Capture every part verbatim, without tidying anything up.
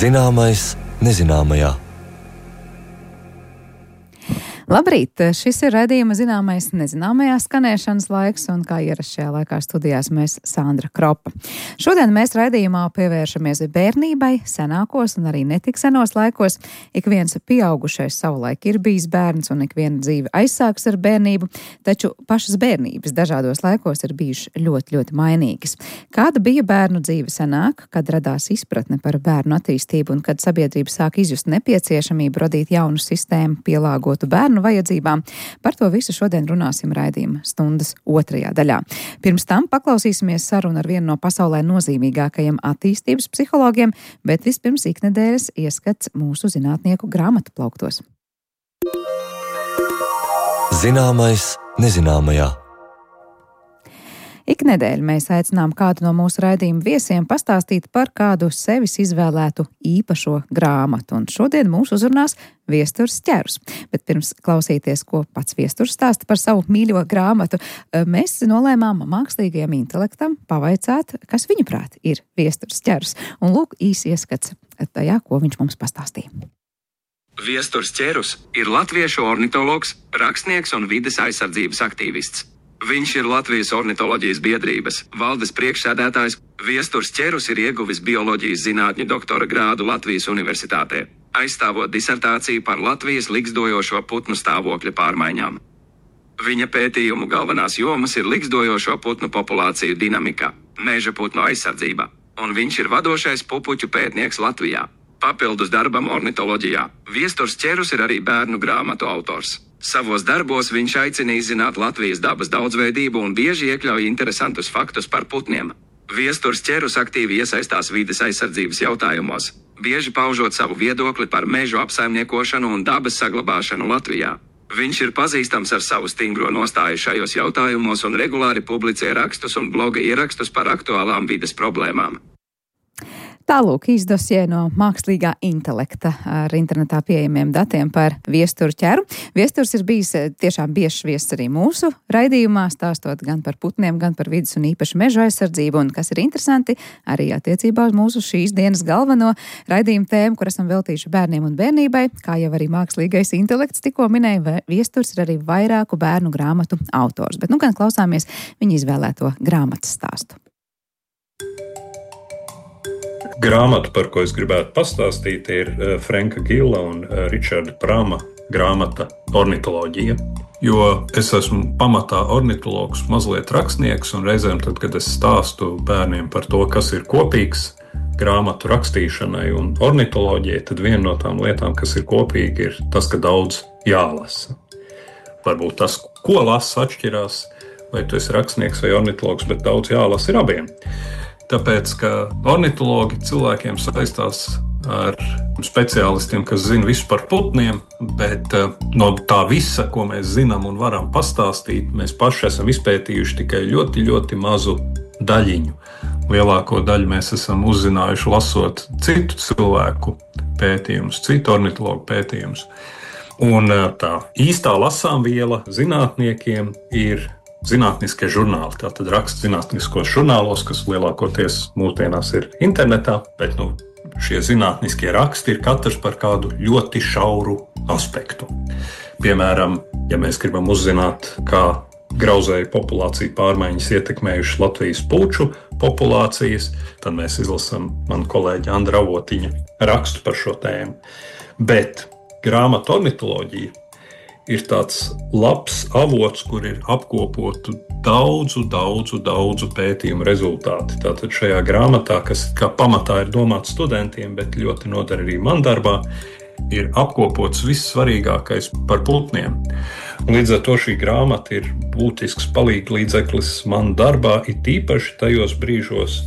Zināmais nezināmajā. Labrīt! Šis ir raidījuma Zināmais nezināmajā skanēšanas laiks, un kā ierasts šajā laikā studijās mēs Sandra Kropa. Šodien mēs raidījumā pievēršamies bērnībai, senākos un arī netik senos laikos. Ik viens pieaugušais savulaik ir bijis bērns, un ik viena dzīve aizsāks ar bērnību, taču pašas bērnības dažādos laikos ir bijušas ļoti, ļoti mainīgas. Kāda bija bērnu dzīve senāk, kad radās izpratne par bērnu attīstību un kad sabiedrība sāk izjust nepieciešamību radīt jaunu sistēmu, pielāgotu bērnu vajadzībām? Par to visu šodien runāsim raidījuma stundas otrajā daļā. Pirms tam paklausīsimies sarunu ar vienu no pasaulē nozīmīgākajiem attīstības psihologiem, bet vispirms iknedēļas ieskats mūsu zinātnieku grāmatu plauktos. Zināmais nezināmajā. Iknedēļ mēs aicinām kādu no mūsu raidījuma viesiem pastāstīt par kādu sevis izvēlētu īpašo grāmatu. Un šodien mūs uzrunās Viesturs Ķerus. Bet pirms klausīties, ko pats Viesturs stāsta par savu mīļo grāmatu, mēs nolēmām mākslīgajam intelektam pavaicāt, kas viņuprāt ir Viesturs Ķerus. Un lūk, īsi ieskats tajā, ko viņš mums pastāstīja. Viesturs Ķerus ir latviešu ornitologs, rakstnieks un vides aizsardzības aktīvists. Viņš ir Latvijas ornitoloģijas biedrības valdes priekšsēdētājs. Viesturs Ķerus ir ieguvis bioloģijas zinātņu doktora grādu Latvijas Universitātē, aizstāvot disertāciju par Latvijas ligzdojošo putnu stāvokļa pārmaiņām. Viņa pētījumu galvenās jomas ir ligzdojošo putnu populāciju dinamika, meža putnu aizsardzība, un viņš ir vadošais pupuķu pētnieks Latvijā. Papildus darbam ornitoloģijā, Viesturs Ķerus ir arī bērnu grāmatu autors. Savos darbos viņš aicina izzināt Latvijas dabas daudzveidību un bieži iekļauj interesantus faktus par putniem. Viesturs Ķerus aktīvi iesaistās vides aizsardzības jautājumos, bieži paužot savu viedokli par mežu apsaimniekošanu un dabas saglabāšanu Latvijā. Viņš ir pazīstams ar savu stingro nostāju šajos jautājumos un regulāri publicē rakstus un bloga ierakstus par aktuālām vides problēmām. Tālūk īsdosie no mākslīgā intelekta ar internetā pieejamiem datiem par Viesturu Ķeru. Viesturs ir bijis tiešām biežs viesis arī mūsu raidījumā, stāstot gan par putniem, gan par vidas un īpaši meža aizsardzību, un kas ir interesanti, arī attiecībā uz mūsu šīs dienas galveno raidījumu tēmu, kur esam veltījuši bērniem un bērnībai, kā jau arī mākslīgais intelekts tikko minēja, Viesturs ir arī vairāku bērnu grāmatu autors. Bet nu gan klausāmies viņa izvēlēto grāmatas stāstu. Grāmata, par ko es gribētu pastāstīt, ir Franka Gila un Richarda Prama grāmata Ornitoloģija. Jo es esmu pamatā ornitologs, mazliet rakstnieks, un reizēm tad, kad es stāstu bērniem par to, kas ir kopīgs grāmatu rakstīšanai un ornitoloģijai, tad viena no tām lietām, kas ir kopīgi, ir tas, ka daudz jālasa. Varbūt tas, ko lasa, atšķirās, vai tu esi rakstnieks vai ornitologs, bet daudz jālasa ir abiem. Tāpēc, ka ornitologi cilvēkiem saistās ar speciālistiem, kas zina visu par putniem, bet no tā visa, ko mēs zinām un varam pastāstīt, mēs paši esam izpētījuši tikai ļoti, ļoti mazu daļiņu. Lielāko daļu mēs esam uzzinājuši lasot citu cilvēku pētījumus, citu ornitologu pētījumus. Un tā īstā lasāmviela zinātniekiem ir zinātniskie žurnāli. Tātad raksta zinātniskos žurnālos, kas lielākoties mūsdienās ir internetā, bet nu, šie zinātniskie raksti ir katrs par kādu ļoti šauru aspektu. Piemēram, ja mēs gribam uzzināt, kā grauzēju populāciju pārmaiņas ietekmējušas Latvijas puču populācijas, tad mēs izlasām manu kolēģi Andra Avotiņa rakstu par šo tēmu. Bet grāmata Ornitoloģija ir tāds labs avots, kur ir apkopotu daudzu, daudzu, daudzu pētījumu rezultāti. Tātad šajā grāmatā, kas kā pamatā ir domāts studentiem, bet ļoti noder arī man darbā, ir apkopots viss svarīgākais par putniem. Līdz ar to šī grāmata ir būtisks palīgs līdzeklis man darbā, it īpaši tajos brīžos,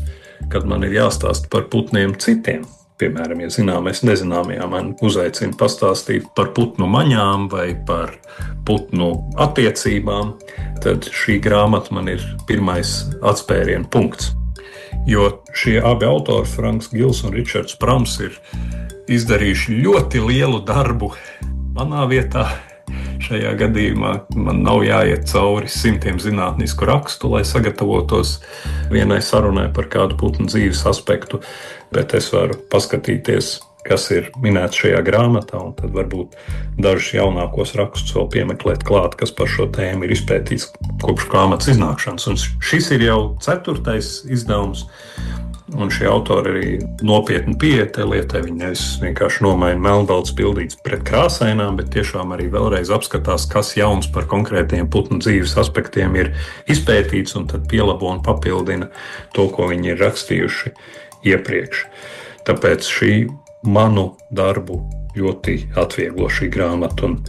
kad man ir jāstāst par putniem citiem. Piemēram, ja zināmais nezināmajā man uzaicina pastāstīt par putnu maņām vai par putnu attiecībām, tad šī grāmata man ir pirmais atspērienu punkts. Jo šie abi autori, Franks Gils un Ričards Prams, ir izdarījuši ļoti lielu darbu manā vietā Šajā gadījumā man nav jāiet cauri simtiem zinātnisku rakstu, lai sagatavotos vienai sarunai par kādu putnu dzīves aspektu, bet es varu paskatīties, kas ir minēts šajā grāmatā, un tad varbūt dažus jaunākos rakstus vēl piemeklēt klāt, kas par šo tēmu ir izpētīts kopš grāmatas iznākšanas. Un šis ir jau ceturtais izdevums, un šie autori arī nopietni pieeja tai lietai. Viņi nevis vienkārši nomaina melnbalts pildīts pret krāsainām, bet tiešām arī vēlreiz apskatās, kas jauns par konkrētiem putnu dzīves aspektiem ir izpētīts, un tad pielabo un papildina to, ko viņi ir rakstījuši iepriekš. Tāpēc šī manu darbu ļoti atvieglo šī grāmata un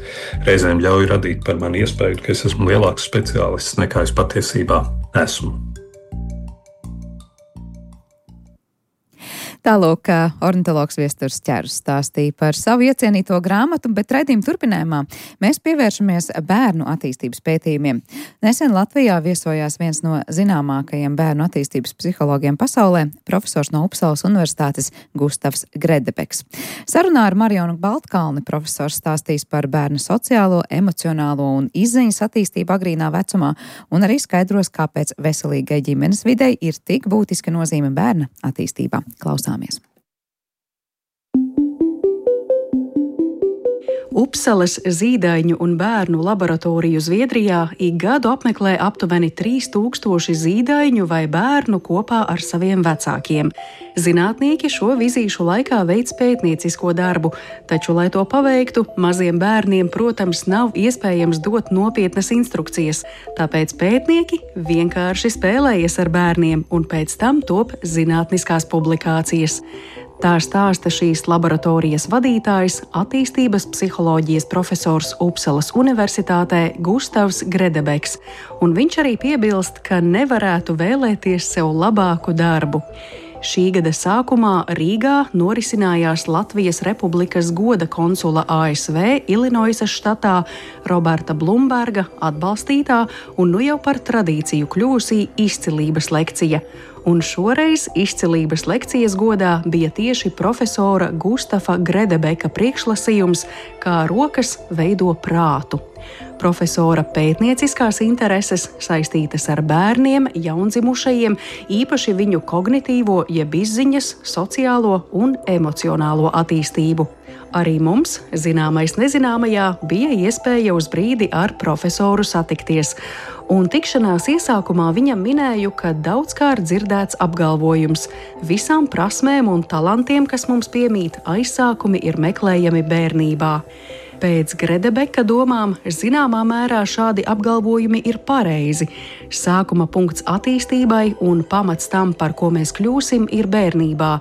reizēm ļauj radīt par mani iespēju, ka es esmu lielāks speciālists nekā es patiesībā esmu. Tālūk, ornitologs Viesturs Ķerus stāstīja par savu iecienīto grāmatu, bet raidījuma turpinājumā mēs pievēršamies bērnu attīstības pētījumiem. Nesen Latvijā viesojās viens no zināmākajiem bērnu attīstības psihologiem pasaulē, profesors no Upsalas Universitātes Gustavs Gredebeks. Sarunā ar Marionu Baltkalni profesors stāstīs par bērnu sociālo, emocionālo un izziņas attīstību agrīnā vecumā un arī skaidros, kāpēc veselīgai ģimenes videi ir tik būtiska nozīme bērna attīstībā. Klausāmies. Upsalas zīdaiņu un bērnu laboratoriju Zviedrijā ik gadu apmeklē aptuveni trīs tūkstoši zīdaiņu vai bērnu kopā ar saviem vecākiem. Zinātnieki šo vizīšu laikā veic pētniecisko darbu, taču, lai to paveiktu, maziem bērniem, protams, nav iespējams dot nopietnas instrukcijas, tāpēc pētnieki vienkārši spēlējas ar bērniem un pēc tam top zinātniskās publikācijas. Tā stāsta šīs laboratorijas vadītājs, attīstības psiholoģijas profesors Upsalas Universitātē Gustavs Gredebeks, un viņš arī piebilst, ka nevarētu vēlēties sev labāku darbu. Šī gada sākumā Rīgā norisinājās Latvijas Republikas goda konsula A S V Ilinoisas štatā Roberta Blumberga atbalstītā un nu jau par tradīciju kļūsī izcilības lekcija. Un šoreiz izcilības lekcijas godā bija tieši profesora Gustava Gredebeka priekšlasījums, kā rokas veido prātu. Profesora pētnieciskās intereses saistītas ar bērniem, jaundzimušajiem, īpaši viņu kognitīvo, jeb izziņas, sociālo un emocionālo attīstību. Arī mums, zināmais nezināmajā, bija iespēja uz brīdi ar profesoru satikties. Un tikšanās iesākumā viņam minēju, ka daudzkārt dzirdēts apgalvojums: visām prasmēm un talantiem, kas mums piemīt, aizsākumi ir meklējami bērnībā. Pēc Gredebeka domām, zināmā mērā šādi apgalvojumi ir pareizi. Sākuma punkts attīstībai un pamats tam, par ko mēs kļūsim, ir bērnībā.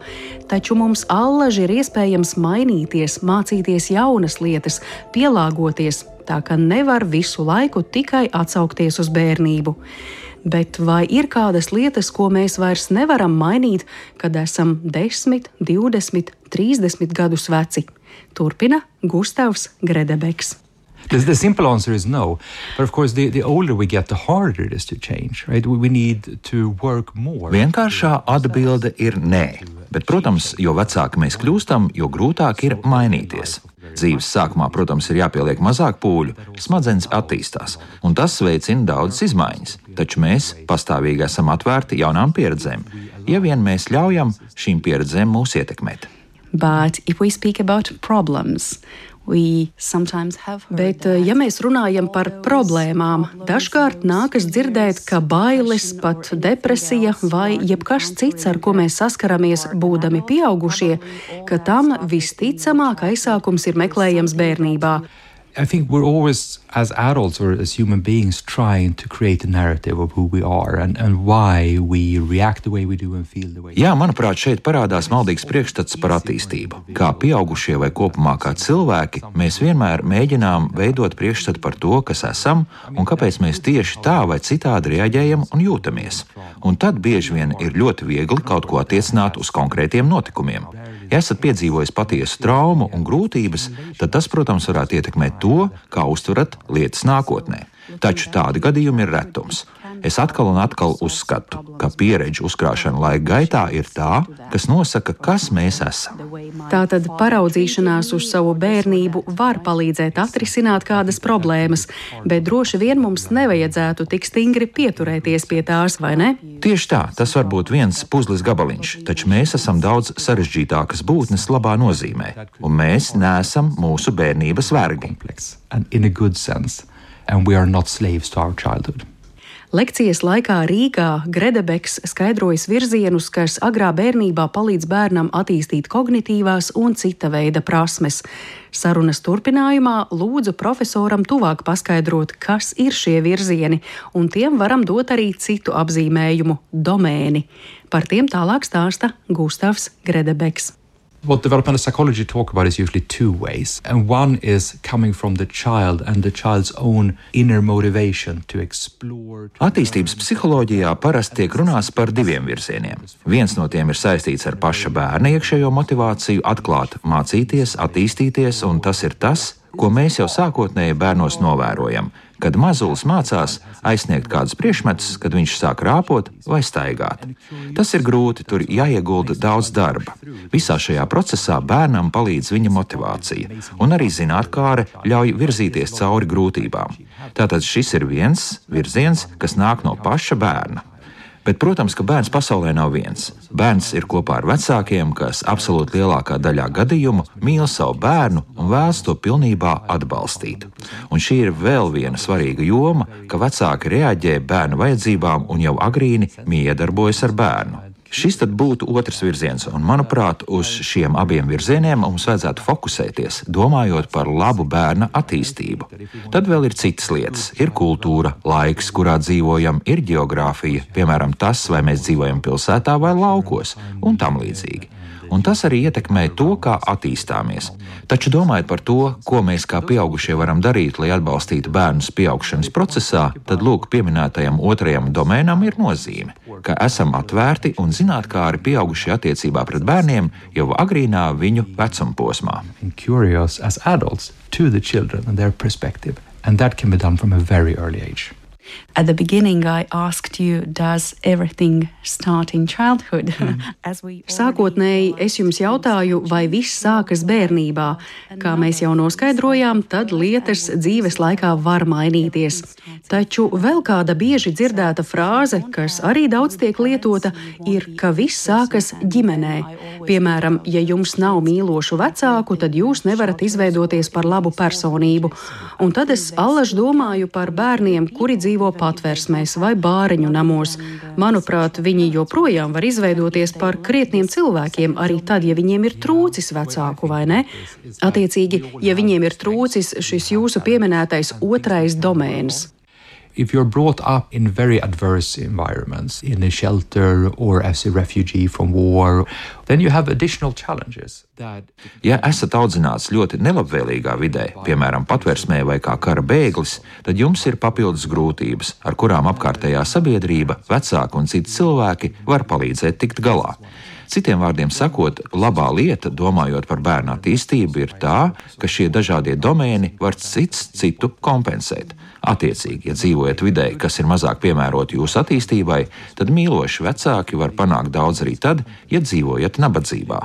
Taču mums allaži ir iespējams mainīties, mācīties jaunas lietas, pielāgoties, tā ka nevar visu laiku tikai atsaukties uz bērnību. Bet vai ir kādas lietas, ko mēs vairs nevaram mainīt, kad esam desmit, divdesmit, trīsdesmit gadus veci? Turpina Gustavs Gredebeks. The, the simple answer is no. But of course, the, the older we get, the harder it is to change, right? We need to work more. Vienkāršā atbilde ir nē. Bet, protams, jo vecāki mēs kļūstam, jo grūtāk ir mainīties. Dzīves sākumā, protams, ir jāpieliek mazāk pūļu, smadzenes attīstās, un tas veicina daudzas izmaiņas. Taču mēs pastāvīgi esam atvērti jaunām pieredzēm, ja vien mēs ļaujam šīm pieredzēm mūs ietekmēt. But if we speak about problems, we sometimes have Bet, ja mēs runājam par problēmām, dažkārt nākas dzirdēt, ka bailes, pat depresija vai jebkas cits, ar ko mēs saskaramies būdami pieaugušie, ka tam visticamāk aizsākums ir meklējams bērnībā. I think we're always, as adults or as human beings, trying to create a narrative of who we are and, and why we react the way we do and feel the way we do. Jā, manuprāt, šeit parādās maldīgs priekšstats par attīstību. Kā pieaugušie vai kopumā kā cilvēki, mēs vienmēr mēģinām veidot priekšstatu par to, kas esam un kāpēc mēs tieši tā vai citādi reaģējam un jūtamies. Un tad bieži vien ir ļoti viegli kaut ko attiecināt uz konkrētiem notikumiem. Ja esat piedzīvojis patiesu traumu un grūtības, tad tas, protams, varētu ietekmēt to, kā uztverat lietas nākotnē. Taču tādi gadījumi ir retums. Es atkal un atkal uzskatu, ka pieredžu uzkrāšana laika gaitā ir tā, kas nosaka, kas mēs esam. Tātad paraudzīšanās uz savu bērnību var palīdzēt atrisināt kādas problēmas, bet droši vien mums nevajadzētu tik stingri pieturēties pie tās, vai ne? Tieši tā, tas var būt viens puzles gabaliņš, taču mēs esam daudz sarežģītākas būtnes labā nozīmē, un mēs neesam mūsu bērnības vergi. And in a good sense, and we are not slaves to our childhood. Lekcijas laikā Rīgā Gredebeks skaidrojas virzienus, kas agrā bērnībā palīdz bērnam attīstīt kognitīvās un cita veida prasmes. Sarunas turpinājumā lūdzu profesoram tuvāk paskaidrot, kas ir šie virzieni, un tiem varam dot arī citu apzīmējumu – domēni. Par tiem tālāk stāsta Gustavs Gredebeks. What developmental psychology talk about is usually two ways. And one is coming from the child and the child's own inner motivation to explore. Attīstības psiholoģijā parasti tiek runāts par diviem virzieniem. Viens no tiem ir saistīts ar paša bērna iekšējo motivāciju atklāt, mācīties, attīstīties, un tas ir tas, ko mēs jau sākotnēji bērnos novērojam, kad mazulis mācās aizsniegt kādus priekšmetus, kad viņš sāk rāpot vai staigāt. Tas ir grūti, tur jāiegulda daudz darba. Visā šajā procesā bērnam palīdz viņa motivācija, un arī zinātkāre ļauj virzīties cauri grūtībām. Tātad šis ir viens virziens, kas nāk no paša bērna. Bet, protams, ka bērns pasaulē nav viens. Bērns ir kopā ar vecākiem, kas absolūti lielākā daļā gadījumu mīl savu bērnu un vēlas to pilnībā atbalstīt. Un šī ir vēl viena svarīga joma, ka vecāki reaģē bērnu vajadzībām un jau agrīni miedarbojas ar bērnu. Šis tad būtu otrs virziens, un, manuprāt, uz šiem abiem virzieniem mums vajadzētu fokusēties, domājot par labu bērna attīstību. Tad vēl ir citas lietas. Ir kultūra, laiks, kurā dzīvojam, ir geogrāfija, piemēram, tas, vai mēs dzīvojam pilsētā vai laukos, un tam līdzīgi. Un tas arī ietekmē to, kā attīstāmies. Taču domājot par to, ko mēs kā pieaugušie varam darīt, lai atbalstītu bērnus pieaugšanas procesā, tad lūk, pieminētajam otrajam domēnam ir nozīme, ka esam atvērti un zinātkāri pieaugušie attiecībā pret bērniem jau agrīnā viņu vecumposmā. Curious as adults to the children and their perspective, and that can be done from a very early age. At the beginning, I asked you, does everything start in childhood? Mm. Sākotnēji es jums jautāju, vai viss sākas bērnībā. Kā mēs jau noskaidrojām, tad lietas dzīves laikā var mainīties. Taču vēl kāda bieži dzirdēta frāze, kas arī daudz tiek lietota, ir, ka viss sākas ģimenē. Piemēram, ja jums nav mīlošu vecāku, tad jūs nevarat izveidoties par labu personību. Un tad es allaž domāju par bērniem, kuri dzīvo dzīvo patvērsmēs vai bāriņu namos. Manuprāt, viņi joprojām var izveidoties par krietniem cilvēkiem, arī tad, ja viņiem ir trūcis vecāku, vai ne? Attiecīgi, ja viņiem ir trūcis šis jūsu pieminētais otrais domēns. If you're brought up in very adverse environments, in a shelter or as a refugee from war, then you have additional challenges. That... Ja esat audzināts ļoti nelabvēlīgā vidē, piemēram, patversmē vai kā kara bēglis, tad jums ir papildus grūtības, ar kurām apkārtējā sabiedrība, vecāki un citi cilvēki var palīdzēt tikt galā. Citiem vārdiem sakot, labā lieta, domājot par bērnu attīstību, ir tā, ka šie dažādie domēni var cits citu kompensēt. Attiecīgi, ja dzīvojat vidē, kas ir mazāk piemēroti jūsu attīstībai, tad mīloši vecāki var panākt daudz arī tad, ja dzīvojat nabadzībā.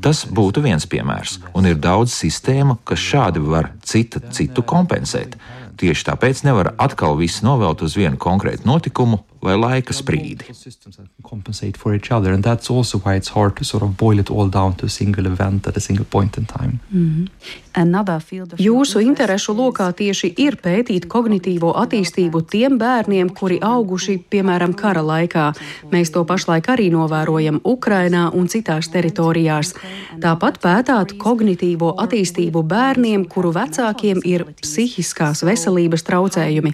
Tas būtu viens piemērs, un ir daudz sistēmu, kas šādi var cita citu kompensēt. Tieši tāpēc nevar atkal visu novelt uz vienu konkrētu notikumu vai laika sprīdi. Compensate for each other, and that's also why it's hard to sort of boil it all down to a single event at a single point in time. Mm-hmm. Jūsu interešu lokā tieši ir pētīt kognitīvo attīstību tiem bērniem, kuri auguši, piemēram, kara laikā. Mēs to pašlaik arī novērojam Ukrainā un citās teritorijās. Tāpat pētāt kognitīvo attīstību bērniem, kuru vecākiem ir psihiskās veselības traucējumi.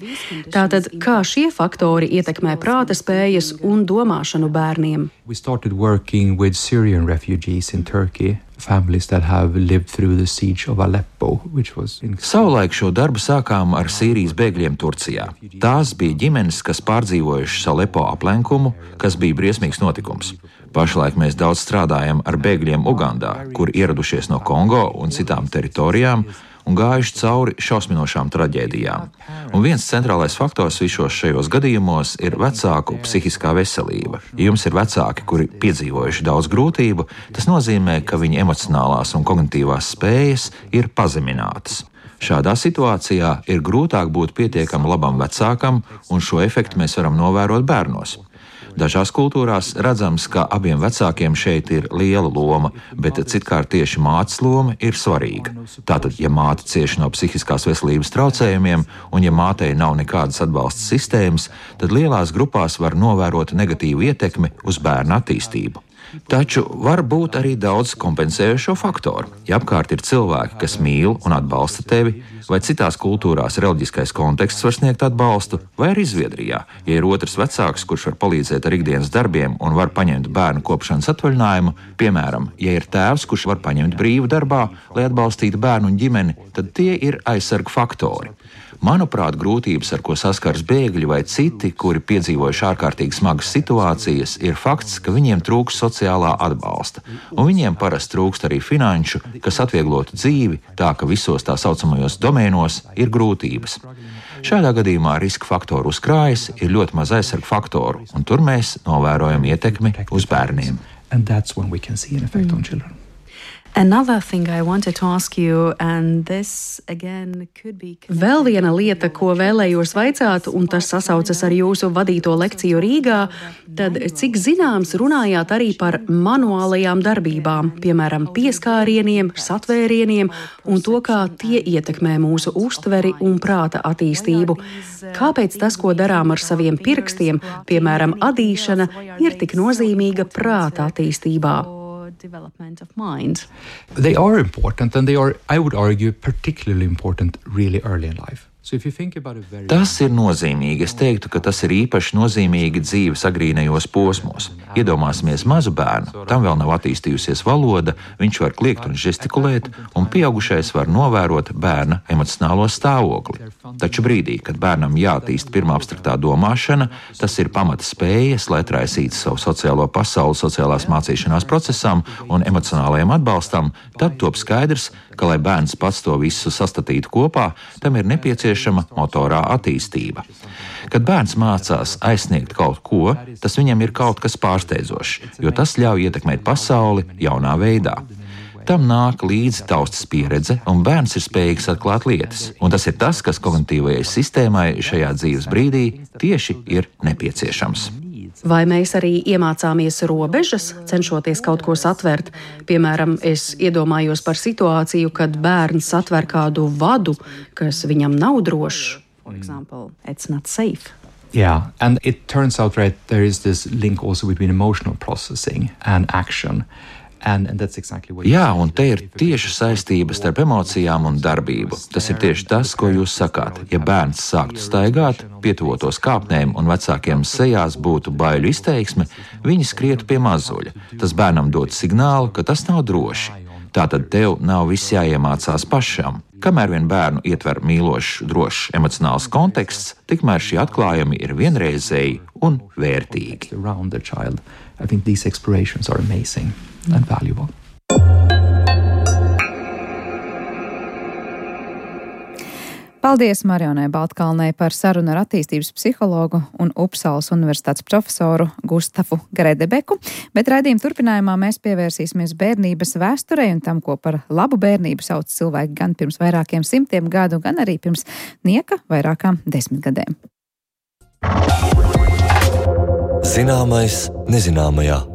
Tātad, kā šie faktori ietekmē prāta spējas un domāšanu bērniem? We started working with Syrian refugees in Turkey. Families that have lived through the siege of Aleppo, which was in... Savulaik šo darbu sākām ar Sīrijas bēgļiem Turcijā. Tās bija ģimenes, kas pārdzīvojušas Aleppo aplenkumu, kas bija briesmīgs notikums. Pašlaik mēs daudz strādājam ar bēgļiem Ugandā, kur ieradušies no Kongo un citām teritorijām, un gājuši cauri šausminošām traģēdijām. Un viens centrālais faktors visos šajos gadījumos ir vecāku psihiskā veselība. Ja jums ir vecāki, kuri piedzīvojuši daudz grūtību, tas nozīmē, ka viņu emocionālās un kognitīvās spējas ir pazeminātas. Šādā situācijā ir grūtāk būt pietiekami labam vecākam, un šo efektu mēs varam novērot bērnos. Dažās kultūrās redzams, ka abiem vecākiem šeit ir liela loma, bet citkārt tieši mātes loma ir svarīga. Tātad, ja māte cieši no psihiskās veselības traucējumiem, un ja mātei nav nekādas atbalsta sistēmas, tad lielās grupās var novērot negatīvu ietekmi uz bērna attīstību. Taču var būt arī daudz kompensējošo faktoru. Ja apkārt ir cilvēki, kas mīl un atbalsta tevi, vai citās kultūrās reliģiskais konteksts var sniegt atbalstu, vai arī Zviedrijā, ja ir otrs vecāks, kurš var palīdzēt ar ikdienas darbiem un var paņemt bērnu kopšanas atvaļinājumu, piemēram, ja ir tēvs, kurš var paņemt brīvu darbā, lai atbalstītu bērnu un ģimeni, tad tie ir aizsarga faktori. Manuprāt, grūtības, ar ko saskars bēgļi vai citi, kuri piedzīvojuši ārkārtīgi smagas situācijas, ir fakts, ka viņiem trūks sociālā atbalsta, un viņiem parasti trūkst arī finanšu, kas atvieglotu dzīvi, tā ka visos tā saucamajos domēnos ir grūtības. Šādā gadījumā riska faktoru uzkrājas, ir ļoti maz aizsarga faktoru, un tur mēs novērojam ietekmi uz bērniem. And that's when we can see an effect on children. Another thing I wanted to ask you, and this again could be... Vēl viena lieta, ko vēlējos vaicāt, un tas sasaucas ar jūsu vadīto lekciju Rīgā, tad cik zināms runājāt arī par manuālajām darbībām, piemēram, pieskārieniem, satvērieniem un to, kā tie ietekmē mūsu uztveri un prāta attīstību. Kāpēc tas, ko darām ar saviem pirkstiem, piemēram, adīšana, ir tik nozīmīga prāta attīstībā? Development of mind. They are important, and they are, I would argue, particularly important really early in life. So if you think about it very... Tas ir nozīmīgi. Es teiktu, ka tas ir īpaši nozīmīgi dzīves agrīnajos posmos. Iedomāsimies mazu bērnu, tam vēl nav attīstījusies valoda, viņš var kliegt un žestikulēt, un pieaugušais var novērot bērna emocionālo stāvokli. Taču brīdī, kad bērnam jāattīst pirmā abstraktā domāšana, tas ir pamata spējas, lai atraisītu savu sociālo pasauli sociālās mācīšanās procesam un emocionālajam atbalstam, tad top skaidrs, ka, lai bērns pats to visu sastatītu kopā, tam ir nepieciešama motorā attīstība. Kad bērns mācās aizsniegt kaut ko, tas viņam ir kaut kas pārsteidzošs, jo tas ļauj ietekmēt pasauli jaunā veidā. Tam nāk līdzi taustas pieredze, un bērns ir spējīgs atklāt lietas. Un tas ir tas, kas kognitīvajai sistēmai šajā dzīves brīdī tieši ir nepieciešams. Vai mēs arī iemācāmies robežas, cenšoties kaut ko satvert? Piemēram, es iedomājos par situāciju, kad bērns satver kādu vadu, kas viņam nav drošs. For example, it's not safe. Yeah, and it turns out, right, there is this link also between emotional processing and action. And, and that's exactly what Jā, un te ir tieši saistība starp emocijām un darbību. Tas ir tieši tas, ko jūs sakāt. Ja bērns sāktu staigāt, pietuvotos kāpnēm un vecākiem sejās būtu baiļu izteiksme, viņi skrietu pie mazuļa. Tas bērnam dod signālu, ka tas nav droši. Tātad tev nav viss jāiemācās pašam. Kamēr vien bērnu ietver mīlošs, drošs emocionāls konteksts, tikmēr šie atklājumi ir vienreizēji un vērtīgi. I think these explorations are amazing and valuable. Paldies Marionai Baltkalnei par sarunu ar attīstības psihologu un Upsalas universitātes profesoru Gustafu Gredebeku, bet raidījuma turpinājumā mēs pievērsīsimies bērnības vēsturei un tam, ko par labu bērnību sauc cilvēki gan pirms vairākiem simtiem gadu, gan arī pirms nieka vairākām desmitgadēm. Zināmais nezināmajā.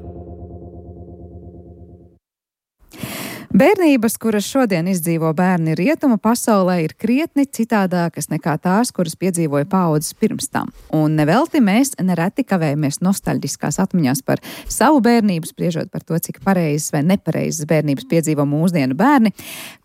Bērnības, kuras šodien izdzīvo bērni rietumu pasaulē, ir krietni citādākas nekā tās, kuras piedzīvoja paaudzes pirms tam. Un nevelti mēs nereti kavējamies nostalģiskās atmiņās par savu bērnību, spriežot par to, cik pareizes vai nepareizes bērnības piedzīvo mūsdienu bērni.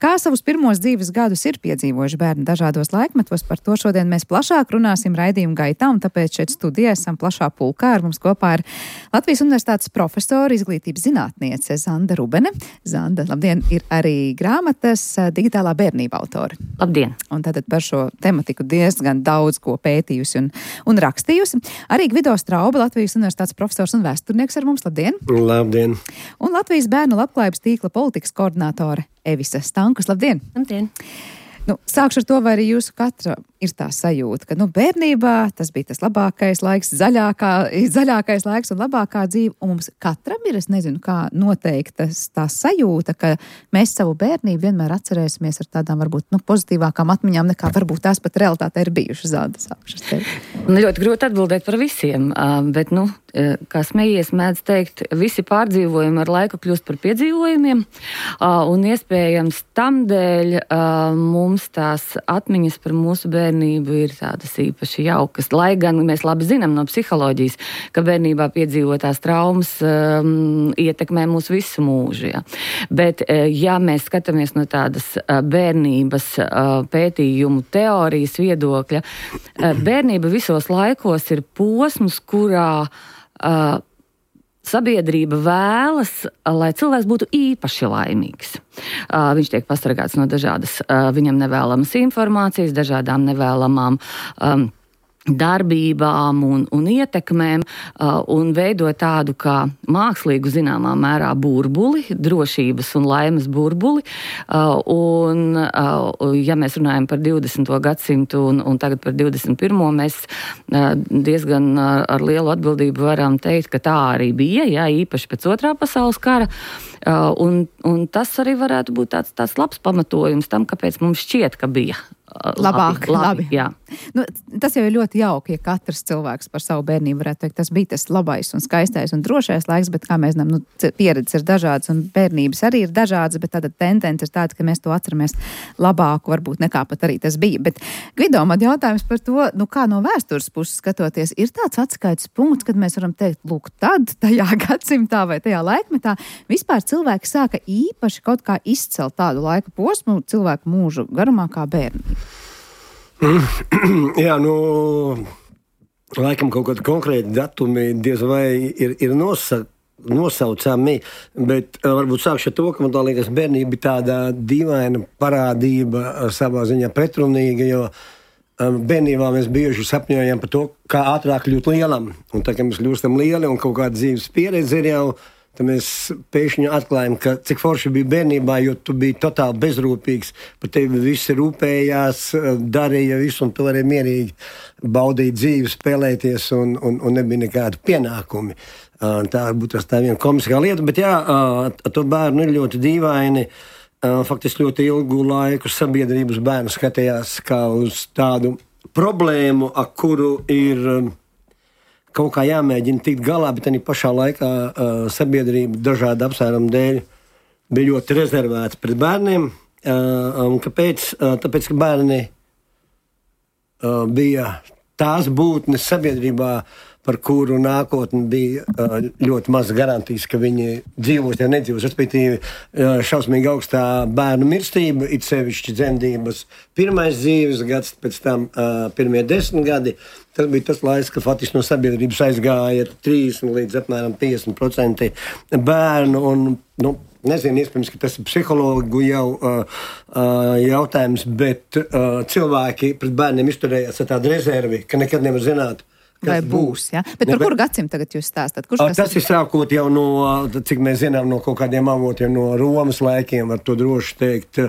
Kā savus pirmos dzīves gadus ir piedzīvojuši bērni dažādos laikmetos, par to šodien mēs plašāk runāsim raidījuma gaitā, un tāpēc šeit studijā esam plašā pulkā. Ar mums kopā ir Latvijas universitātes profesora, izglītības zinātniece Zanda Rubene. Zanda, labdien! Ir arī grāmatas Digitālā bērnība autori. Labdien! Un tātad par šo tematiku diezgan daudz ko pētījusi un, un rakstījusi. Arī Gvido Strauba, Latvijas universitātes profesors un vēsturnieks ar mums. Labdien! Labdien! Un Latvijas bērnu labklājības tīkla politikas koordinātore Evisa Stankus. Labdien! Labdien! Nu, sākšu ar to, vai arī jūsu katra ir tā sajūta, ka nu, bērnībā tas bija tas labākais laiks, zaļākā, zaļākais laiks un labākā dzīve, un mums katram ir, es nezinu, kā noteikta tā sajūta, ka mēs savu bērnību vienmēr atcerēsimies ar tādām varbūt nu, pozitīvākām atmiņām, nekā varbūt tās pat realitātē ir bijušas zādas augšas tevi. Ļoti grūti atbildēt par visiem, bet, nu, kā smējies mēdz teikt, visi pārdzīvojumi ar laiku kļūst par piedzīvojumiem, un iespējams tam dēļ mums tās atmiņas par mūsu bērnību ir tādas īpaši jaukas, lai gan mēs labi zinām no psiholoģijas, ka bērnībā piedzīvotās traumas um, ietekmē mūsu visu mūžu. Ja. Bet, ja mēs skatāmies no tādas bērnības uh, pētījumu teorijas viedokļa, uh, bērnība visos laikos ir posms, kurā uh, sabiedrība vēlas, lai cilvēks būtu īpaši laimīgs. Uh, viņš tiek pasargāts no dažādas uh, viņam nevēlamas informācijas, dažādām nevēlamām um, darbībām un, un ietekmēm uh, un veido tādu kā mākslīgu zināmā mērā burbuli, drošības un laimes burbuli. Uh, un, uh, ja mēs runājam par divdesmito gadsimtu un, un tagad par divdesmit pirmo, mēs uh, diezgan uh, ar lielu atbildību varam teikt, ka tā arī bija, jā, īpaši pēc otrā pasaules kara. Uh, un, un tas arī varētu būt tāds, tāds labs pamatojums tam, kāpēc mums šķiet, ka bija labāk, labi. labi. Jā. Nu, tas jau ir ļoti jauki, ja katrs cilvēks par savu bērnību varētu teikt, tas bija tas labais un skaistais un drošais laiks, bet kā mēs zinām, nu, pieredzes ir dažādas un bērnības arī ir dažādas, bet tāda tendence ir tāda, ka mēs to atceramies labāku, varbūt nekā pat arī tas bija. Bet, Gvido, man jautājums par to, nu, kā no vēstures puses skatoties, ir tāds atskaites punkts, kad mēs varam teikt, lūk, tad, tajā gadsimtā vai tajā laikmetā, vispār cilvēki sāka īpaši kaut kā izcelt tādu laika posmu cilvēku mūžu garumā kā bērni. Jā, nu, laikam kaut kādi konkrēti datumi diez vai ir, ir nosa, nosaucami, bet uh, varbūt sākšu ar to, ka man tā liekas bērnība ir tāda dīvaina parādība, savā ziņā pretrunīga, jo um, bērnībā mēs bieži sapņojam par to, kā ātrāk kļūt lielam. Un tā, ka mēs kļūstam lieli un kaut kāda dzīves pieredze ir jau, tad mēs pēkšņi atklājam, ka cik forši bija bērnībā, jo tu biji totāli bezrūpīgs, par tevi visi rūpējās, darīja visu, un tu varēji mierīgi baudīt dzīvi, spēlēties, un, un, un nebija nekādi pienākumi. Tā būtu tas tā viena komiskā lieta, bet jā, ar to bērnu ir ļoti dīvaini. Faktiski ļoti ilgu laiku sabiedrības bērnu skatījās kā uz tādu problēmu, ar kuru ir kaut kā jāmēģina tikt galā, bet arī pašā laikā uh, sabiedrība dažādu apsvērumu dēļ bija ļoti rezervēta pret bērniem. Uh, un kāpēc? Uh, tāpēc, ka bērni uh, bija tās būtnes sabiedrībā, par kuru nākotni bija uh, ļoti maz garantijas, ka viņi dzīvos, ja nedzīvos. Respektīvi, uh, šausmīgi augstā bērnu mirstība, it sevišķi dzemdības pirmais dzīves gads, pēc tam uh, pirmie desmit gadi. Tas bija tas laiks, ka faktiski no sabiedrības aizgāja trīsdesmit līdz apmēram piecdesmit procenti bērnu. Un, nu, nezinu, iespējams, ka tas ir psihologu jau uh, uh, jautājums, bet uh, cilvēki pret bērniem izturējās ar tādu rezervi, ka nekad nevar zināt, vai būs, jā? Bet par kuru gadsimtu tagad jūs stāstat? Kurš tas ir sākot jau no, cik mēs zinām, no kaut kādiem avotiem, no Romas laikiem, var to droši teikt,